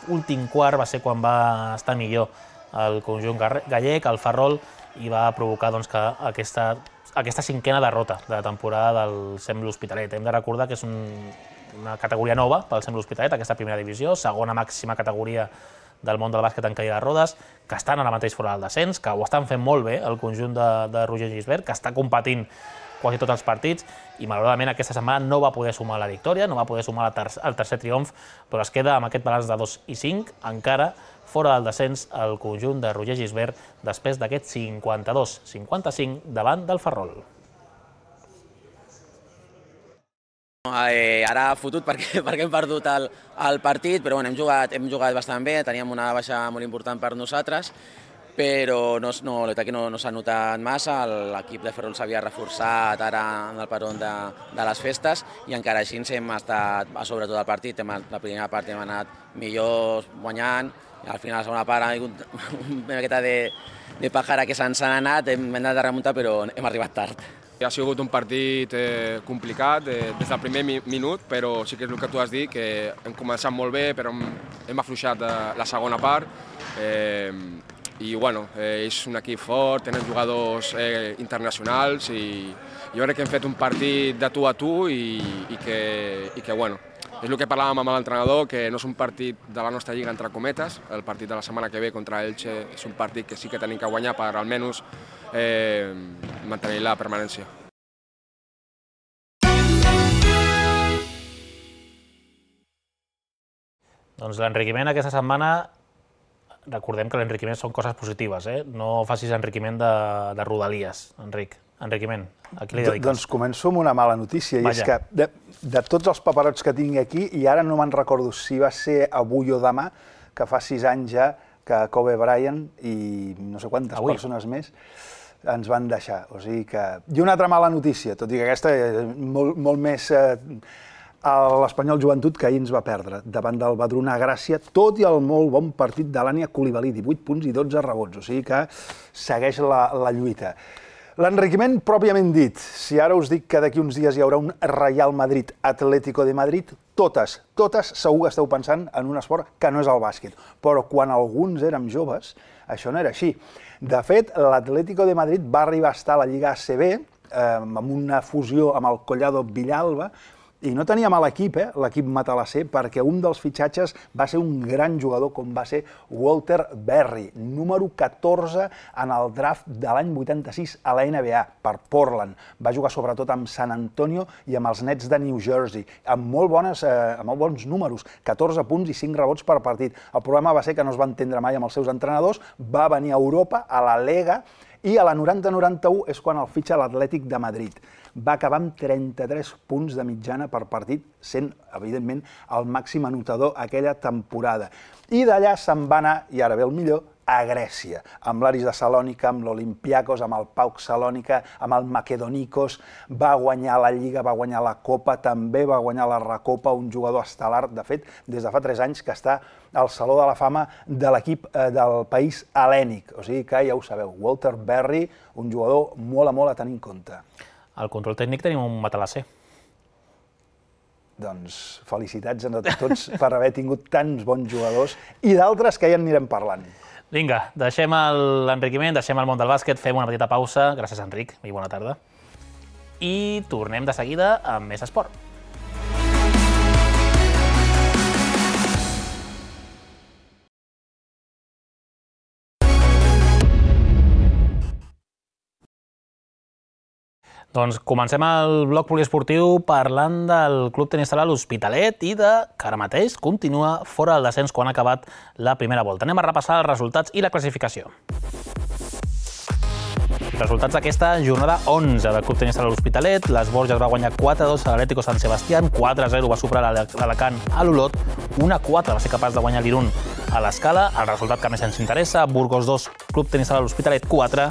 l'últim quart va ser quan va estar millor el conjunt gallec, el Ferrol, i va provocar doncs, que aquesta, aquesta cinquena derrota de la temporada del C E M L'Hospitalet. Hem de recordar que és un, una categoria nova pel C E M L'Hospitalet, aquesta primera divisió, segona màxima categoria del món del bàsquet en cadira de rodes, que estan ara mateix fora del descens, que ho estan fent molt bé el conjunt de, de Roger Gisbert, que està competint quasi tots els partits, i malauradament aquesta setmana no va poder sumar la victòria, no va poder sumar el tercer, el tercer triomf, però es queda amb aquest balanç de dos i cinc, encara fora del descens el conjunt de Roger Gisbert després d'aquest cinquanta-dos a cinquanta-cinc davant del Ferrol. Eh, ara fotut perquè, perquè hem perdut el, el partit, però bueno, hem, jugat, hem jugat bastant bé, teníem una baixa molt important per nosaltres, però no, no, no, no s'ha notat massa, l'equip de Ferrol s'havia reforçat ara en el peron de, de les festes i encara així hem estat a sobre tot el partit, hem, la primera part hem anat millors guanyant, i al final la segona part ha hagut una miqueta de, de pàjara que se'ns han anat, hem anat a remuntar però hem arribat tard. Ha sigut un partit eh, complicat eh, des del primer mi minut, però sí que és el que tu has dit, que hem començat molt bé, però hem, hem afluixat eh, la segona part. Eh, I bueno, eh, és un equip fort, tenen jugadors eh, internacionals i jo crec que hem fet un partit de tu a tu i, i, que, i que bueno, és el que parlàvem amb l'entrenador, que no és un partit de la nostra lliga entre cometes, el partit de la setmana que ve contra Elche és un partit que sí que tenim que guanyar per almenys eh, mantenir la permanència. Doncs l'enriquiment aquesta setmana, recordem que l'enriquiment són coses positives, eh? No facis enriquiment de, de rodalies, Enric. Enriquiment, a qui li dediques? Doncs començo amb una mala notícia, i Vaja. és que de, de tots els paperots que tinc aquí, i ara no me'n recordo si va ser avui o demà, que fa sis anys ja que Kobe Bryant i no sé quantes avui. persones més ens van deixar. O sigui que... I una altra mala notícia, tot i que aquesta és molt, molt més... Eh, l'Espanyol Joventut, que ahir ens va perdre davant del Badruna Gràcia, tot i el molt bon partit de l'Ània Coulibaly, divuit punts i dotze rebots, o sigui que segueix la, la lluita. L'enriquiment pròpiament dit. Si ara us dic que d'aquí uns dies hi haurà un Real Madrid-Atlético de Madrid, totes, totes segur que esteu pensant en un esport que no és el bàsquet. Però quan alguns érem joves, això no era així. De fet, l'Atlético de Madrid va arribar a estar a la Lliga A C B eh, amb una fusió amb el Collado Villalba, i no tenia mal equip, eh, l'equip matalasser, perquè un dels fitxatges va ser un gran jugador com va ser Walter Berry, número catorze en el draft de l'any vuitanta-sis a la N B A per Portland. Va jugar sobretot amb San Antonio i amb els Nets de New Jersey, amb molt, bones, eh, amb molt bons números, catorze punts i cinc rebots per partit. El problema va ser que no es va entendre mai amb els seus entrenadors, va venir a Europa, a la Lega, i a la noranta noranta u és quan el fitxa l'Atlètic de Madrid. Va acabar amb trenta-tres punts de mitjana per partit, sent, evidentment, el màxim anotador aquella temporada. I d'allà se'n va anar, i ara ve el millor, a Grècia, amb l'Aris de Salònica, amb l'Olympiakos, amb el PAOK Salònica, amb el Makedonikos, va guanyar la Lliga, va guanyar la Copa, també va guanyar la Recopa, un jugador estel·lar, de fet, des de fa tres anys que està al Saló de la Fama de l'equip del país hel·lènic. O sigui que ja ho sabeu, Walter Berry, un jugador molt a molt a tenir en compte. Al control tècnic tenim un matalasser. Doncs felicitats a tots per haver tingut tants bons jugadors i d'altres que ja en anirem parlant. Vinga, deixem l'enriquiment, deixem el món del bàsquet, fem una petita pausa. Gràcies, Enric, i bona tarda. I tornem de seguida amb més esport. Doncs comencem el bloc poliesportiu parlant del Club Tenis Sala l'Hospitalet i de que ara mateix continua fora del descens quan ha acabat la primera volta. Anem a repassar els resultats i la classificació. Resultats d'aquesta jornada onze del Club Tenis Sala l'Hospitalet. Les Borges va guanyar quatre a dos a l'Atlético San Sebastián, quatre a zero va superar l'Alacant a l'Olot, un a quatre va ser capaç de guanyar l'Irún a l'Escala. El resultat que més ens interessa, Burgos dos, Club Tenis Sala l'Hospitalet quatre,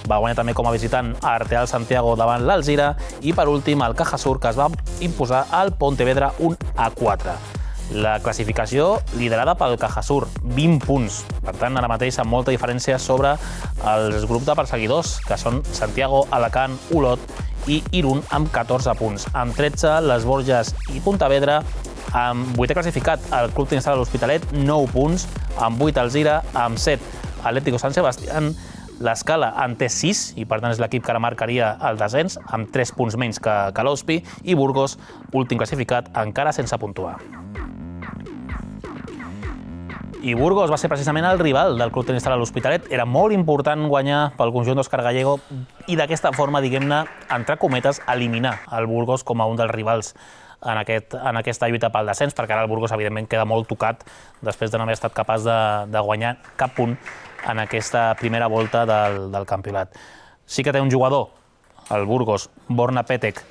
va guanyar també com a visitant a Arteal Santiago davant l'Alzira i per últim el Cajasur, que es va imposar al Pontevedra un a quatre. La classificació liderada pel Cajasur, vint punts. Per tant, ara mateix amb molta diferència sobre els grups de perseguidors, que són Santiago, Alacant, Olot i Irún amb catorze punts. Amb tretze, les Borges i Pontevedra. Amb vuitè classificat, el Club Tenis Sala l'Hospitalet, nou punts. Amb vuit, Alzira. Amb set, Atlético San Sebastián. L'Escala en té sis, i per tant és l'equip que ara marcaria el descens, amb tres punts menys que, que l'Hospi, i Burgos, últim classificat, encara sense puntuar. I Burgos va ser precisament el rival del Club Tenis Sala l'Hospitalet. Era molt important guanyar pel conjunt d'Òscar Gallego i d'aquesta forma, diguem-ne, entre cometes, eliminar el Burgos com a un dels rivals en, aquest, en aquesta lluita pel descens, perquè ara el Burgos, evidentment, queda molt tocat després de no haver estat capaç de, de guanyar cap punt en aquesta primera volta del, del campionat. Sí que té un jugador, el Burgos, Borna Petek,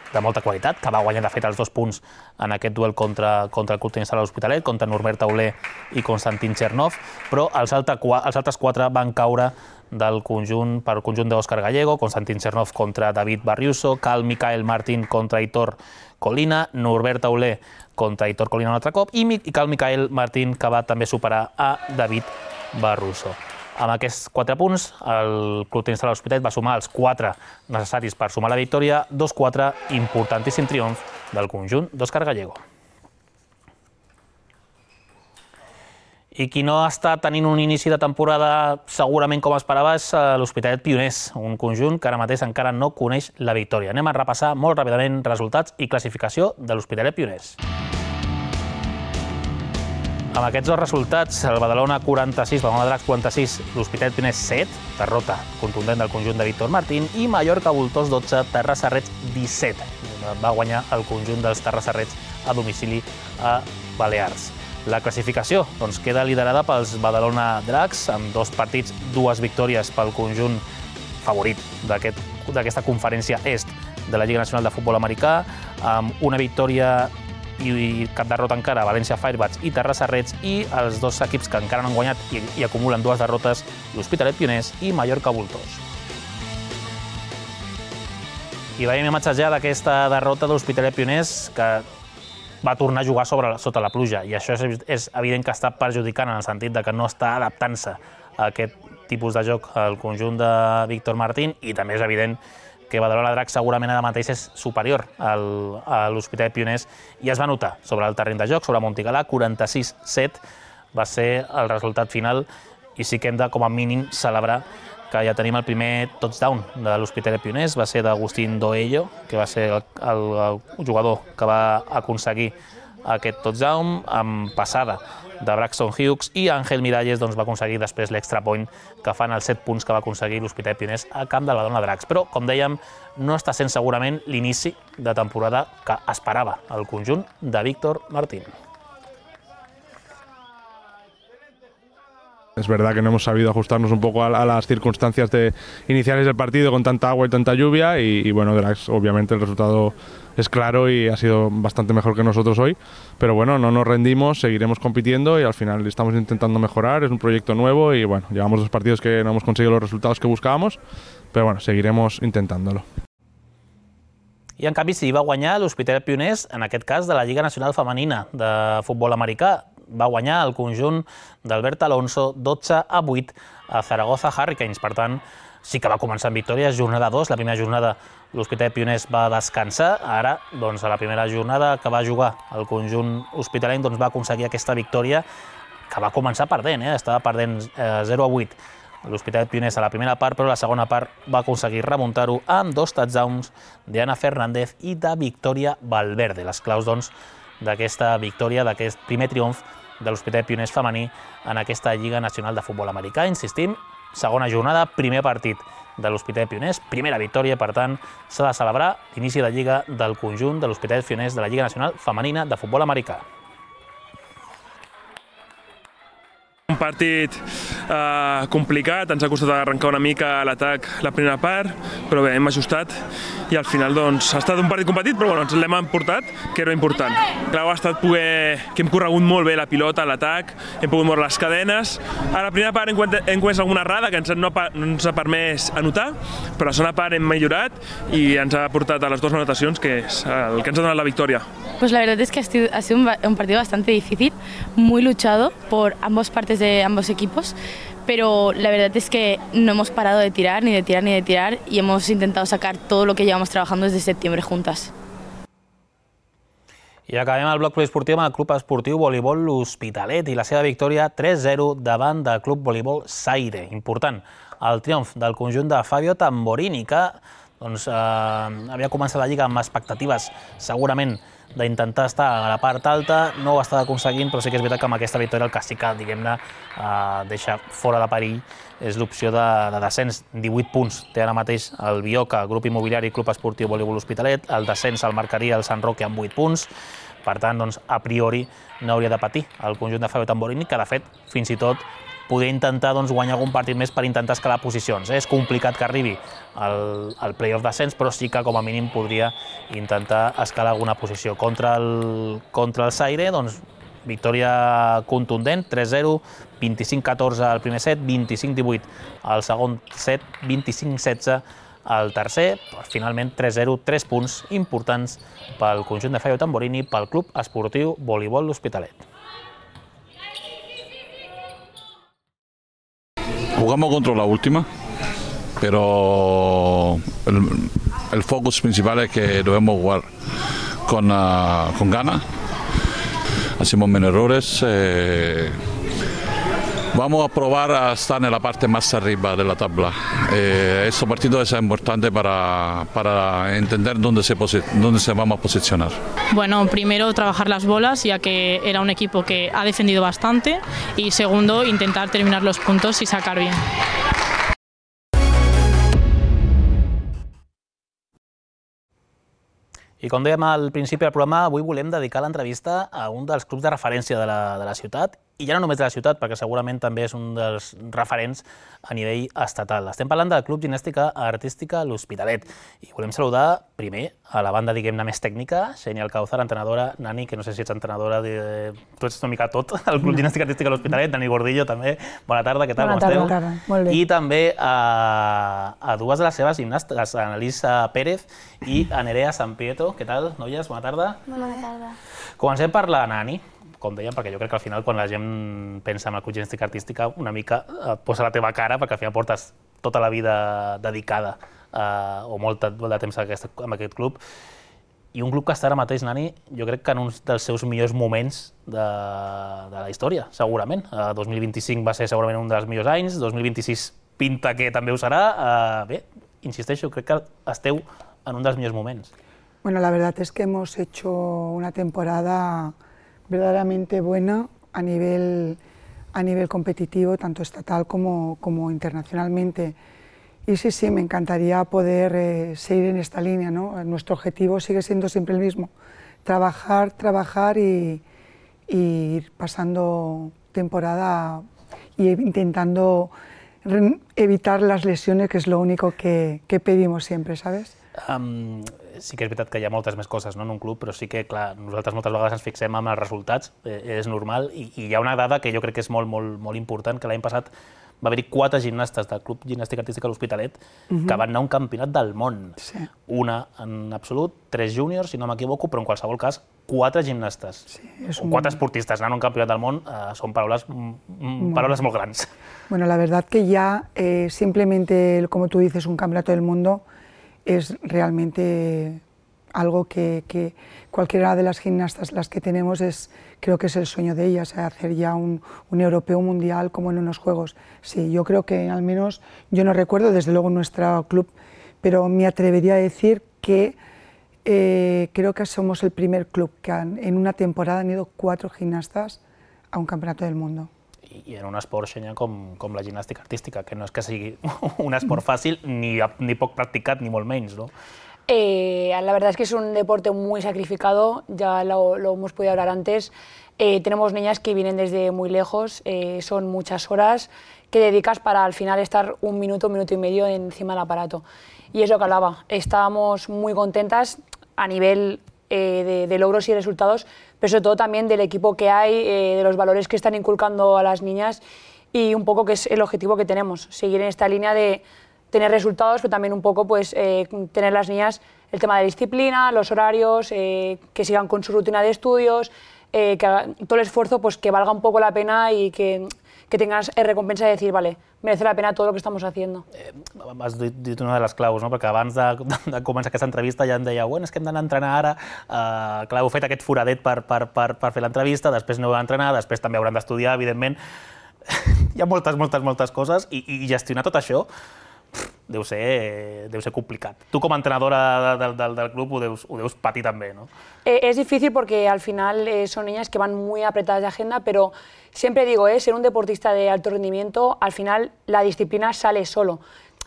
de molta qualitat, que va guanyar de fet els dos punts en aquest duel contra, contra el Club Tenis Sala l'Hospitalet, contra Norbert Tauler i Konstantin Chernov, però els, altre, els altres quatre van caure del conjunt, per conjunt d'Òscar Gallego, Konstantin Chernov contra David Barriuso, Cal Michael Martín contra Hitor Colina, Norbert Tauler contra Hitor Colina un altre cop, i Cal Michael Martín, que va també superar a David Barruso. Amb aquests quatre punts, el Club Tenis Sala l'Hospitalet va sumar els quatre necessaris per sumar la victòria, dos quatre, importantíssim triomf del conjunt d'Òscar Gallego. I qui no està tenint un inici de temporada segurament com esperava és l'Hospitalet Pioners, un conjunt que ara mateix encara no coneix la victòria. Anem a repassar molt ràpidament resultats i classificació de l'Hospitalet Pioners. Amb aquests dos resultats, el Badalona quaranta-sis, Badalona Dracs quaranta-sis, l'Hospitalet Pioners set, derrota contundent del conjunt de Víctor Martín, i Mallorca Voltors dotze, Terrassa Reds disset. Va guanyar el conjunt dels Terrassa Reds a domicili a Balears. La classificació doncs, queda liderada pels Badalona Dracs, amb dos partits, dues victòries pel conjunt favorit d'aquesta conferència est de la Lliga Nacional de Futbol Americà, amb una victòria i cap derrota encara, València Firebats i Terrassa Reds, i els dos equips que encara no han guanyat i, i acumulen dues derrotes, l'Hospitalet Pioners i Mallorca Voltors. I veiem imatges ja d'aquesta derrota de l'Hospitalet Pioners, que va tornar a jugar sobre, sota la pluja, i això és, és evident que està perjudicant en el sentit de que no està adaptant-se a aquest tipus de joc al conjunt de Víctor Martín i també és evident que Badalona Dracs segurament ara mateix és superior al, a l'Hospitalet Pioners i es va notar sobre el terreny de joc, sobre Montigalà, quaranta-sis set va ser el resultat final i sí que hem de, com a mínim, celebrar que ja tenim el primer touchdown de l'Hospitalet Pioners, va ser d'Agustín Doello, que va ser el, el, el jugador que va aconseguir aquest touchdown amb passada de Braxton Hughes i Ángel Miralles doncs, va aconseguir després l'extra point que fan els set punts que va aconseguir l'Hospitalet Pioners a camp del Badalona Dracs. Però, com dèiem, no està sent segurament l'inici de temporada que esperava el conjunt de Víctor Martín. Es verdad que no hemos sabido ajustarnos un poco a, a las circunstancias de, iniciales del partido con tanta agua y tanta lluvia y, y bueno, Dracs, obviamente el resultado es claro y ha sido bastante mejor que nosotros hoy, pero bueno, no nos rendimos, seguiremos compitiendo y al final estamos intentando mejorar, es un proyecto nuevo y bueno, llevamos dos partidos que no hemos conseguido los resultados que buscábamos, pero bueno, seguiremos intentándolo. I en canvi sí va guanyar l'Hospitalet Pioners, en aquest cas de la Lliga Nacional Femenina de futbol americà. Va guanyar el conjunt d'Albert Alonso dotze a vuit a Zaragoza Hurricanes. Per tant, sí que va començar amb victòries, jornada dos. La primera jornada l'Hospitalet Pioners va descansar. Ara, doncs, a la primera jornada que va jugar el conjunt hospitalenc, doncs, va aconseguir aquesta victòria que va començar perdent, eh? Estava perdent eh, zero a vuit l'Hospitalet Pioners a la primera part, però a la segona part va aconseguir remuntar-ho amb dos touchdowns d'Anna Fernández i de Victòria Valverde. Les claus, doncs, d'aquesta victòria, d'aquest primer triomf de l'Hospitalet Pioners femení en aquesta Lliga Nacional de Futbol Americà. Insistim, segona jornada, primer partit de l'Hospitalet Pioners, primera victòria, per tant, s'ha de celebrar l'inici de Lliga del conjunt de l'Hospitalet Pioners de la Lliga Nacional Femenina de Futbol Americà. Un partit eh, complicat, ens ha costat arrencar una mica l'atac la primera part, però bé, hem ajustat i al final doncs, ha estat un partit competit, però bueno, ens l'hem emportat, que era important. Clau ha estat poder, que hem corregut molt bé la pilota a l'atac, hem pogut moure les cadenes. A la primera part hem, hem comès alguna errada que ens no, no ens ha permès anotar, però a la segona part hem millorat i ens ha portat a les dues anotacions, que és el que ens ha donat la victòria. Pues la verdad es que ha sido, ha sido un, un partido bastante difícil, muy luchado por ambas partes de ambos equipos, pero la verdad es que no hemos parado de tirar, ni de tirar, ni de tirar, y hemos intentado sacar todo lo que llevamos trabajando desde septiembre juntas. I acabem el bloc poliesportiu amb el Club Esportiu Voleibol L'Hospitalet i la seva victòria tres zero davant del Club Voleibol Zaire. Important, el triomf del conjunt de Fabio Tamborini, que doncs, eh, havia començat la Lliga amb expectatives segurament d'intentar estar a la part alta, no ho està aconseguint, però sí que és veritat que amb aquesta victòria el que sí que, diguem-ne, eh, deixa fora de perill és l'opció de, de descens. divuit punts té ara mateix el Bioca, Grup Immobiliari, Club Esportiu Voleibol L'Hospitalet, el descens el marcaria el Sant Roque amb vuit punts, per tant, doncs, a priori no hauria de patir el conjunt de Fabio Tamborini, que de fet, fins i tot, poder intentar doncs, guanyar algun partit més per intentar escalar posicions. Eh? És complicat que arribi al, al play-off descens, però sí que com a mínim podria intentar escalar alguna posició. Contra el, contra el Zaire, doncs, victòria contundent, tres zero, vint-i-cinc catorze al primer set, vint-i-cinc divuit al segon set, vint-i-cinc setze al tercer, finalment tres zero, tres punts importants pel conjunt de Fabio Tamborini, pel Club Esportiu Voleibol L'Hospitalet. Jugamos contra la última, pero el, el focus principal es que debemos jugar con, uh, con ganas. Hacemos menos errores. Eh, vamos a probar a estar en la parte más arriba de la tabla. Eh, este partido es importante para, para entender dónde se, dónde se vamos a posicionar. Bueno, primero trabajar las bolas, ya que era un equipo que ha defendido bastante, y segundo, intentar terminar los puntos y sacar bien. I com dèiem al principi del programa, avui volem dedicar l'entrevista a un dels clubs de referència de la, de la ciutat, i ja no només de la ciutat, perquè segurament també és un dels referents a nivell estatal. Estem parlant del Club Ginèstica Artística L'Hospitalet, i volem saludar primer a la banda, diguem-ne, més tècnica, Xenia Alcáuzar, entrenadora, Nani, que no sé si ets entrenadora, de... tu ets una mica tot, al Club Ginèstica Artística L'Hospitalet, Dani Gordillo també, bona tarda, què tal, com esteu? Bona tarda, molt bé. I també a, a dues de les seves gimnastes, a Annalisa Pérez i a Nerea San Pietro, què tal, noies, bona tarda? Bona tarda. Comencem per la Nani. com dèiem, perquè jo crec que al final quan la gent pensa en el club gimnàstica artística una mica et posa la teva cara, perquè al final portes tota la vida dedicada o molt de temps en aquest club. I un club que està ara mateix, Nani, jo crec que en un dels seus millors moments de la història, segurament. dos mil vint-i-cinc va ser segurament un dels millors anys, dos mil vint-i-sis pinta que també ho serà. Bé, insisteixo, crec que esteu en un dels millors moments. Bueno, la verdad es que hemos hecho una temporada verdaderamente buena a nivel, a nivel competitivo, tanto estatal como, como internacionalmente. Y sí, sí, me encantaría poder eh, seguir en esta línea, ¿no? Nuestro objetivo sigue siendo siempre el mismo, trabajar, trabajar y, y ir pasando temporada y intentando evitar las lesiones, que es lo único que, que pedimos siempre, ¿sabes? Um, sí que és veritat que hi ha moltes més coses, no, en un club, però sí que, clar, nosaltres moltes vegades ens fixem en els resultats, eh, és normal, i, i hi ha una dada que jo crec que és molt, molt, molt important, que l'any passat va haver-hi quatre gimnastes del Club Gimnàstica Artística de l'Hospitalet uh-huh. que van anar a un campionat del món. Sí. Una en absolut, tres júniors, si no m'equivoco, però en qualsevol cas, quatre gimnastes. Sí, o un... quatre esportistes anant a un campionat del món eh, són paraules, mm, paraules molt grans. Bueno, la verdad que ya eh, simplemente, como tú dices, un campeonato del mundo es realmente algo que, que cualquiera de las gimnastas, las que tenemos, es, creo que es el sueño de ellas, hacer ya un, un europeo mundial como en unos Juegos. Sí, yo creo que al menos, yo no recuerdo desde luego nuestro club, pero me atrevería a decir que eh, creo que somos el primer club que han, en una temporada han ido cuatro gimnastas a un campeonato del mundo. I en un esport, Xenia, com, com la gimnàstica artística, que no és que sigui un esport fàcil, ni, ni poc practicat, ni molt menys, ¿no? Eh, la verdad es que es un deporte muy sacrificado, ya lo, lo hemos podido hablar antes. Eh, tenemos niñas que vienen desde muy lejos, eh, son muchas horas que dedicas para al final estar un minuto, un minuto y medio encima del aparato. Y es lo que hablaba, estábamos muy contentas a nivel eh, de, de logros y resultados, pero sobre todo también del equipo que hay, eh, de los valores que están inculcando a las niñas y un poco que es el objetivo que tenemos, seguir en esta línea de tener resultados, pero también un poco pues, eh, tener las niñas el tema de disciplina, los horarios, eh, que sigan con su rutina de estudios, eh, que haga, todo el esfuerzo pues, que valga un poco la pena y que, que tengas recompensa de decir, vale, merece la pena todo lo que estamos haciendo. Eh, has dit una de les claus, no? Perquè abans de, de començar aquesta entrevista ja em deia bueno, és que hem d'anar a entrenar ara, uh, clar, heu fet aquest foradet per, per, per, per fer l'entrevista, després aneu a entrenar, després també hauran d'estudiar, evidentment. Hi ha moltes, moltes, moltes coses i, i gestionar tot això deu ser, deu ser complicat. Tu com a entrenadora del, del, del club ho deus, ho deus patir també, ¿no? Eh, es difícil porque al final eh, son niñas que van muy apretadas de agenda, pero siempre digo, eh, ser un deportista de alto rendimiento, al final la disciplina sale solo.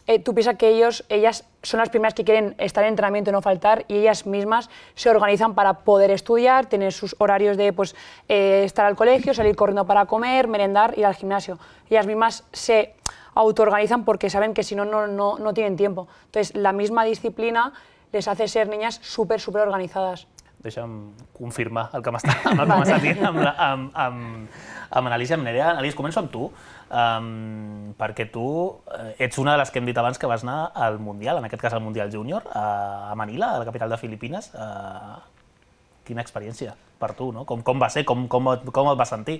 Eh, tú piensas que ellos, ellas son las primeras que quieren estar en entrenamiento y no faltar, y ellas mismas se organizan para poder estudiar, tener sus horarios de pues, eh, estar al colegio, salir corriendo para comer, merendar, ir al gimnasio. Ellas mismas se autoorganizan porque saben que si no, no, no, no tienen tiempo. Entonces, la misma disciplina les hace ser niñas súper, súper organizadas. Deixa'm confirmar el que m'està dient amb, amb, amb, amb Anàlisi, amb Nerea. Anàlisi, començo amb tu, um, perquè tu ets una de les que hem dit abans que vas anar al Mundial, en aquest cas al Mundial Júnior, a Manila, a la capital de Filipines. Uh, quina experiència per tu, no? Com, com va ser? Com, com, com et vas sentir?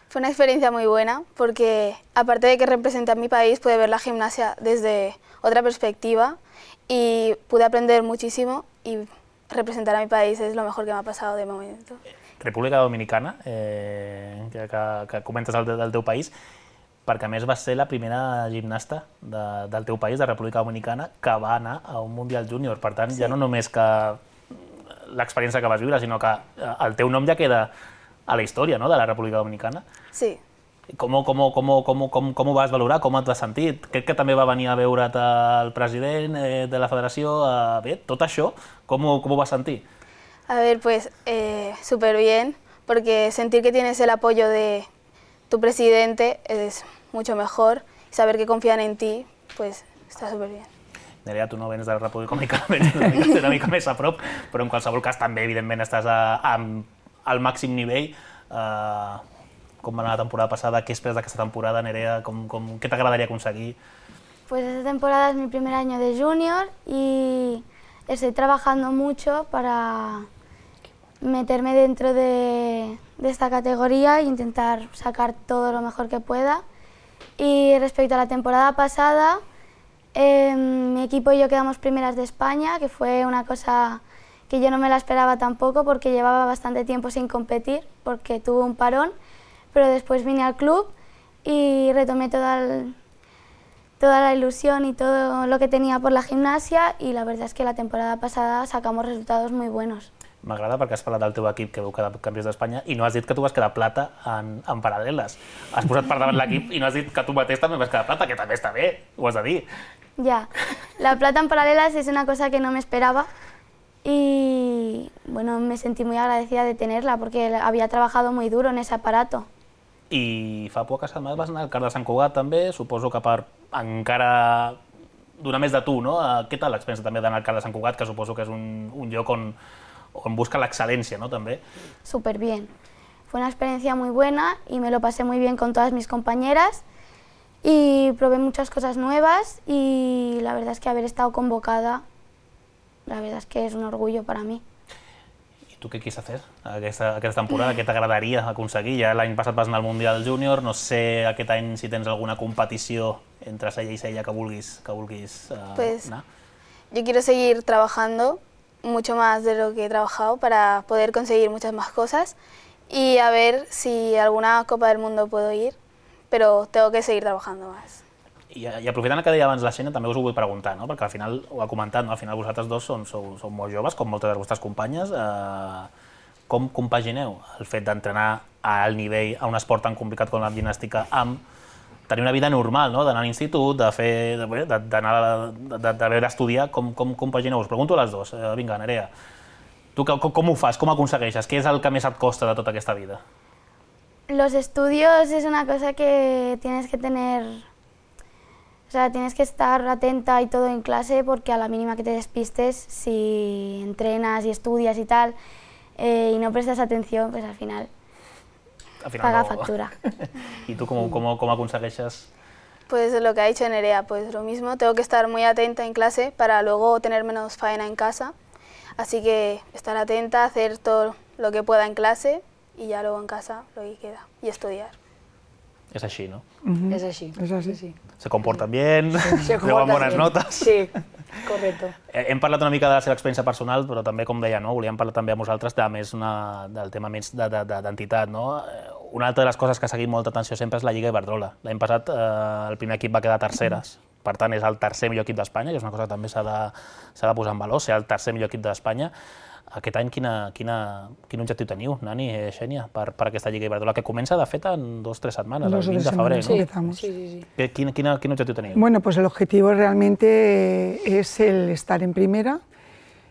Fue una experiencia muy buena porque, aparte de que representé a mi país, pude ver la gimnasia desde otra perspectiva y pude aprender muchísimo y representar a mi país es lo mejor que me ha pasado de momento. República Dominicana, eh, que, que, que comentes el, del teu país, perquè a més vas ser la primera gimnasta de, del teu país, de República Dominicana, que va anar a un Mundial Júnior. Per tant, sí. Ja no només que l'experiència que vas viure, sinó que el teu nom ja queda a la història, no?, de la República Dominicana. Sí. Com, com, com, com, com, com ho vas valorar? Com et vas sentir? Crec que també va venir a veure't el president eh, de la federació. Eh, bé, tot això, com, com ho vas sentir? A ver, pues eh, súper bien, porque sentir que tienes el apoyo de tu presidente es mucho mejor. Y saber que confían en ti, pues está súper bien. Nerea, tu no vens de la República Dominicana, vens una mica, una mica més a prop, però en qualsevol cas també, evidentment, estàs a, a, al màxim nivell. Uh, com va anar la temporada passada? Què esperes d'aquesta temporada, Nerea? Com, com, què t'agradaria aconseguir? Pues esta temporada es mi primer año de junior y estoy trabajando mucho para meterme dentro de, de esta categoría e intentar sacar todo lo mejor que pueda. Y respecto a la temporada pasada, eh, mi equipo y yo quedamos primeras de España, que fue una cosa que yo no me la esperaba tampoco porque llevaba bastante tiempo sin competir, porque tuve un parón, pero después vine al club y retomé toda, el, toda la ilusión y todo lo que tenía por la gimnasia, y la verdad es que la temporada pasada sacamos resultados muy buenos. M'agrada perquè has parlat del teu equip que veu quedar campions d'Espanya i no has dit que tu vas quedar plata en, en paral·leles. Has posat per davant l'equip i no has dit que tu mateix també vas quedar plata, que també està bé, ho has de dir. Ya, la plata en paralelas es una cosa que no me esperaba y bueno, me sentí muy agradecida de tenerla porque había trabajado muy duro en ese aparato. I fa poques setmanes vas anar al CAR de Sant Cugat també, suposo que per encara donar més de tu, no? Què tal l'experiència també d'anar al CAR de Sant Cugat, que suposo que és un, un lloc on on busca la excelencia, ¿no? También. Súper bien. Fue una experiencia muy buena y me lo pasé muy bien con todas mis compañeras y probé muchas cosas nuevas y la verdad es que haber estado convocada, la verdad es que es un orgullo para mí. I tu què quis fer aquesta, aquesta temporada? Què t'agradaria aconseguir? Ja l'any passat vas anar al Mundial Júnior, no sé aquest any si tens alguna competició entre Sella i Sella que vulguis, que vulguis uh, pues, anar? Yo quiero seguir trabajando mucho más de lo que he trabajado para poder conseguir muchas más cosas y a ver si alguna Copa del Mundo puedo ir, pero tengo que seguir trabajando más. I, i aprofitant el que deia abans la Xènia, també us ho vull preguntar, no? Perquè al final, ho ha comentat, no? Al final vosaltres dos són, sou, sou molt joves, com moltes de les vostres companyes. Eh, com compagineu el fet d'entrenar a alt nivell a un esport tan complicat com la gimnàstica amb tenir una vida normal, no? D'anar a l'institut, de fer, d'haver d'estudiar, com, com compagineu? Us pregunto a les dues. Eh, vinga, Nerea, tu com, com ho fas? Com aconsegueixes? Què és el que més et costa de tota aquesta vida? Los estudios es una cosa que tienes que tener, o sea, tienes que estar atenta y todo en clase porque a la mínima que te despistes, si entrenas y estudias y tal, eh, y no prestas atención, pues al final... Al final paga no... factura. ¿Y tú cómo, cómo, cómo aconsegueixes? Pues lo que ha dicho Nerea, pues lo mismo, tengo que estar muy atenta en clase para luego tener menos faena en casa, así que estar atenta, hacer todo lo que pueda en clase y ya luego en casa lo que queda, y estudiar. Es així, ¿no? Uh-huh. Es así. Es así. Sí. Se comportan bien, se llevan bones notes. Sí, correcte. Hem parlat una mica de la seva experiència personal, però també, com deia, no? Volíem parlar també amb vosaltres de més una, del tema més d'entitat. No? Una altra de les coses que ha seguit molta atenció sempre és la Lliga Iberdrola. L'any passat eh, el primer equip va quedar terceres, per tant és el tercer millor equip d'Espanya, que és una cosa que també s'ha de, s'ha de posar en valor, ser el tercer millor equip d'Espanya. Aquest any quina, quina, quin objectiu teniu, Nani, eh, Xènia, per, per aquesta Lliga Iberdrola, que comença de fet en dos o tres setmanes, el vint de febrer, ¿no? Sí, empezamos. Sí, sí, sí. ¿Qué, quin, quin, quin objectiu teniu? Bueno, pues el objetivo realmente es el estar en primera.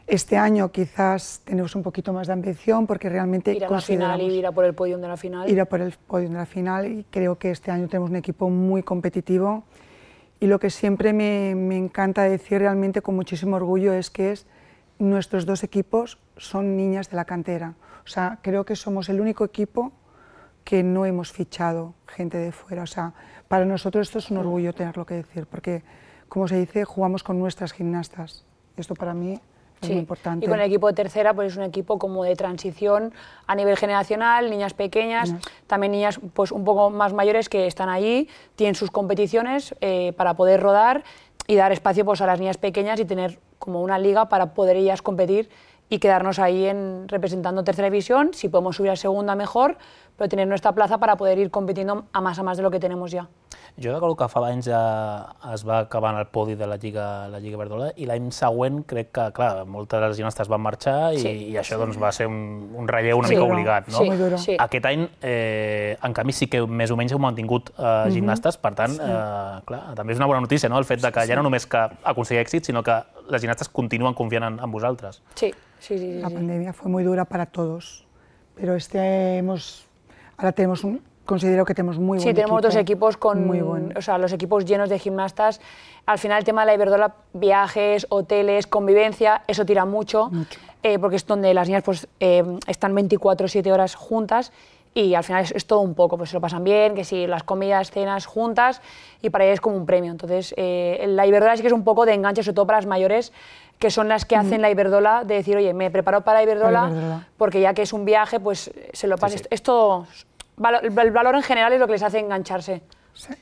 Este año quizás tenemos un poquito más de ambición porque realmente ir a la final y ir a por el podio de la final. Ir a por el podio de la final y creo que este año tenemos un equipo muy competitivo y lo que siempre me, me encanta decir realmente con muchísimo orgullo es que es nuestros dos equipos son niñas de la cantera. O sea, creo que somos el único equipo que no hemos fichado gente de fuera. O sea, para nosotros esto es un orgullo tenerlo que decir, porque, como se dice, jugamos con nuestras gimnastas. Esto para mí es sí. muy importante. Y con el equipo de tercera, pues es un equipo como de transición a nivel generacional, niñas pequeñas, niñas. También niñas pues un poco más mayores que están allí, tienen sus competiciones eh, para poder rodar y dar espacio pues, a las niñas pequeñas y tener como una liga para poder ellas competir y quedarnos ahí en, representando tercera división, si podemos subir a segunda mejor, però tener nuestra plaza para poder ir compitiendo a más a más de lo que tenemos ya. Jo recordo que fa anys ja es va acabar en el podi de la Lliga, la Lliga Iberdrola i l'any següent crec que, clar, moltes de les gimnastes van marxar i, sí, i això doncs, va ser un, un relleu una sí, mica obligat. No? Sí, sí. Aquest any, eh, en canvi, sí que més o menys heu mantingut eh, gimnastes, per tant, sí. eh, clar, també és una bona notícia, no? El fet de que sí, ja no només que aconseguir èxit, sinó que les gimnastes continuen confiant en, en vosaltres. Sí, sí, sí, sí. La pandemia fue muy dura para todos, pero este hemos, ahora tenemos un... Considero que tenemos muy buen equipo. Sí, tenemos dos equipos con, muy buen. O sea, los equipos llenos de gimnastas. Al final el tema de la Iberdrola, viajes, hoteles, convivencia, eso tira mucho, mucho. Eh, porque es donde las niñas pues, eh, están veinticuatro siete horas juntas y al final es, es todo un poco, pues se lo pasan bien, que si las comidas, cenas juntas, y para ellos es como un premio. Entonces, eh, la Iberdrola sí que es un poco de enganche, sobre todo para las mayores, que son las que hacen la Iberdrola, de decir, oye, me preparo para Iberdrola, Iberdrola. porque ya que es un viaje, pues se lo pasa. Sí, sí. Esto, el valor en general es lo que les hace engancharse. Sí.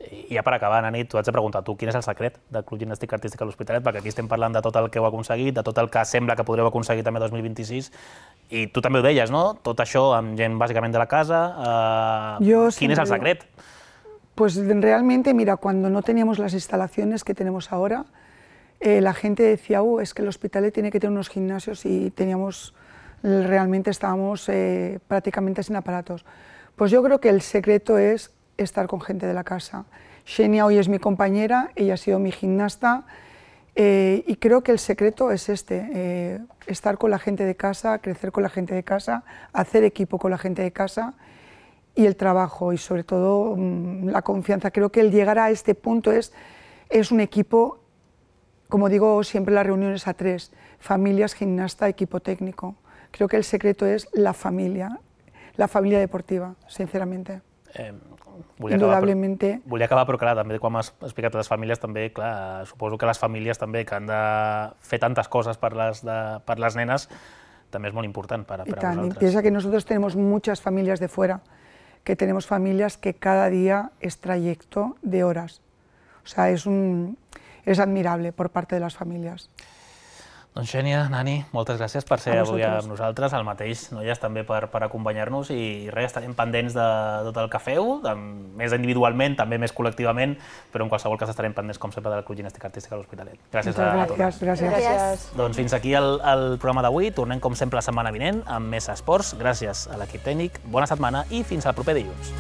I ja per acabar, Nani, t'ho haig de preguntar, tu quin és el secret del Club Gimnàstic Artístic a l'Hospitalet? Perquè aquí estem parlant de tot el que heu aconseguit, de tot el que sembla que podreu aconseguir també dos mil vint-i-sis, i tu també ho deies, no? Tot això amb gent bàsicament de la casa. Eh, Yo ¿Quién es el secret? Pues realmente, mira, cuando no teníamos las instalaciones que tenemos ahora, eh, la gente decía, uh, es que el Hospitalet tiene que tener unos gimnasios, y teníamos, realmente estábamos eh, prácticamente sin aparatos. Pues yo creo que el secreto es estar con gente de la casa. Xenia hoy es mi compañera, ella ha sido mi gimnasta, eh, y creo que el secreto es este, eh, estar con la gente de casa, crecer con la gente de casa, hacer equipo con la gente de casa, y el trabajo, y sobre todo mmm, la confianza. Creo que el llegar a este punto es, es un equipo, como digo siempre en las reuniones a tres, familias, gimnasta, equipo técnico. Creo que el secreto es la familia, la familia deportiva, sinceramente. Eh, Indudablemente. Acabar, volia acabar, però clar, també quan m'has explicat les famílies, també, clar, suposo que les famílies també que han de fer tantes coses per les, de, per les nenes, també és molt important per, per a vosaltres. Piensa que nosotros tenemos muchas familias de fuera, que tenemos familias que cada día es trayecto de horas. O sea, es, un, es admirable por parte de las familias. Doncs Xènia, Nani, moltes gràcies per ser avui amb nosaltres, el mateix, noies, també per, per acompanyar-nos, i res, estarem pendents de tot el que feu, de, més individualment, també més col·lectivament, però en qualsevol cas estarem pendents, com sempre, del Club Gimnàstic Artístic a l'Hospitalet. Gràcies a, a tots. Gràcies. Gràcies. Doncs fins aquí el, el programa d'avui, tornem com sempre la setmana vinent amb més esports. Gràcies a l'equip tècnic, bona setmana i fins al proper dilluns.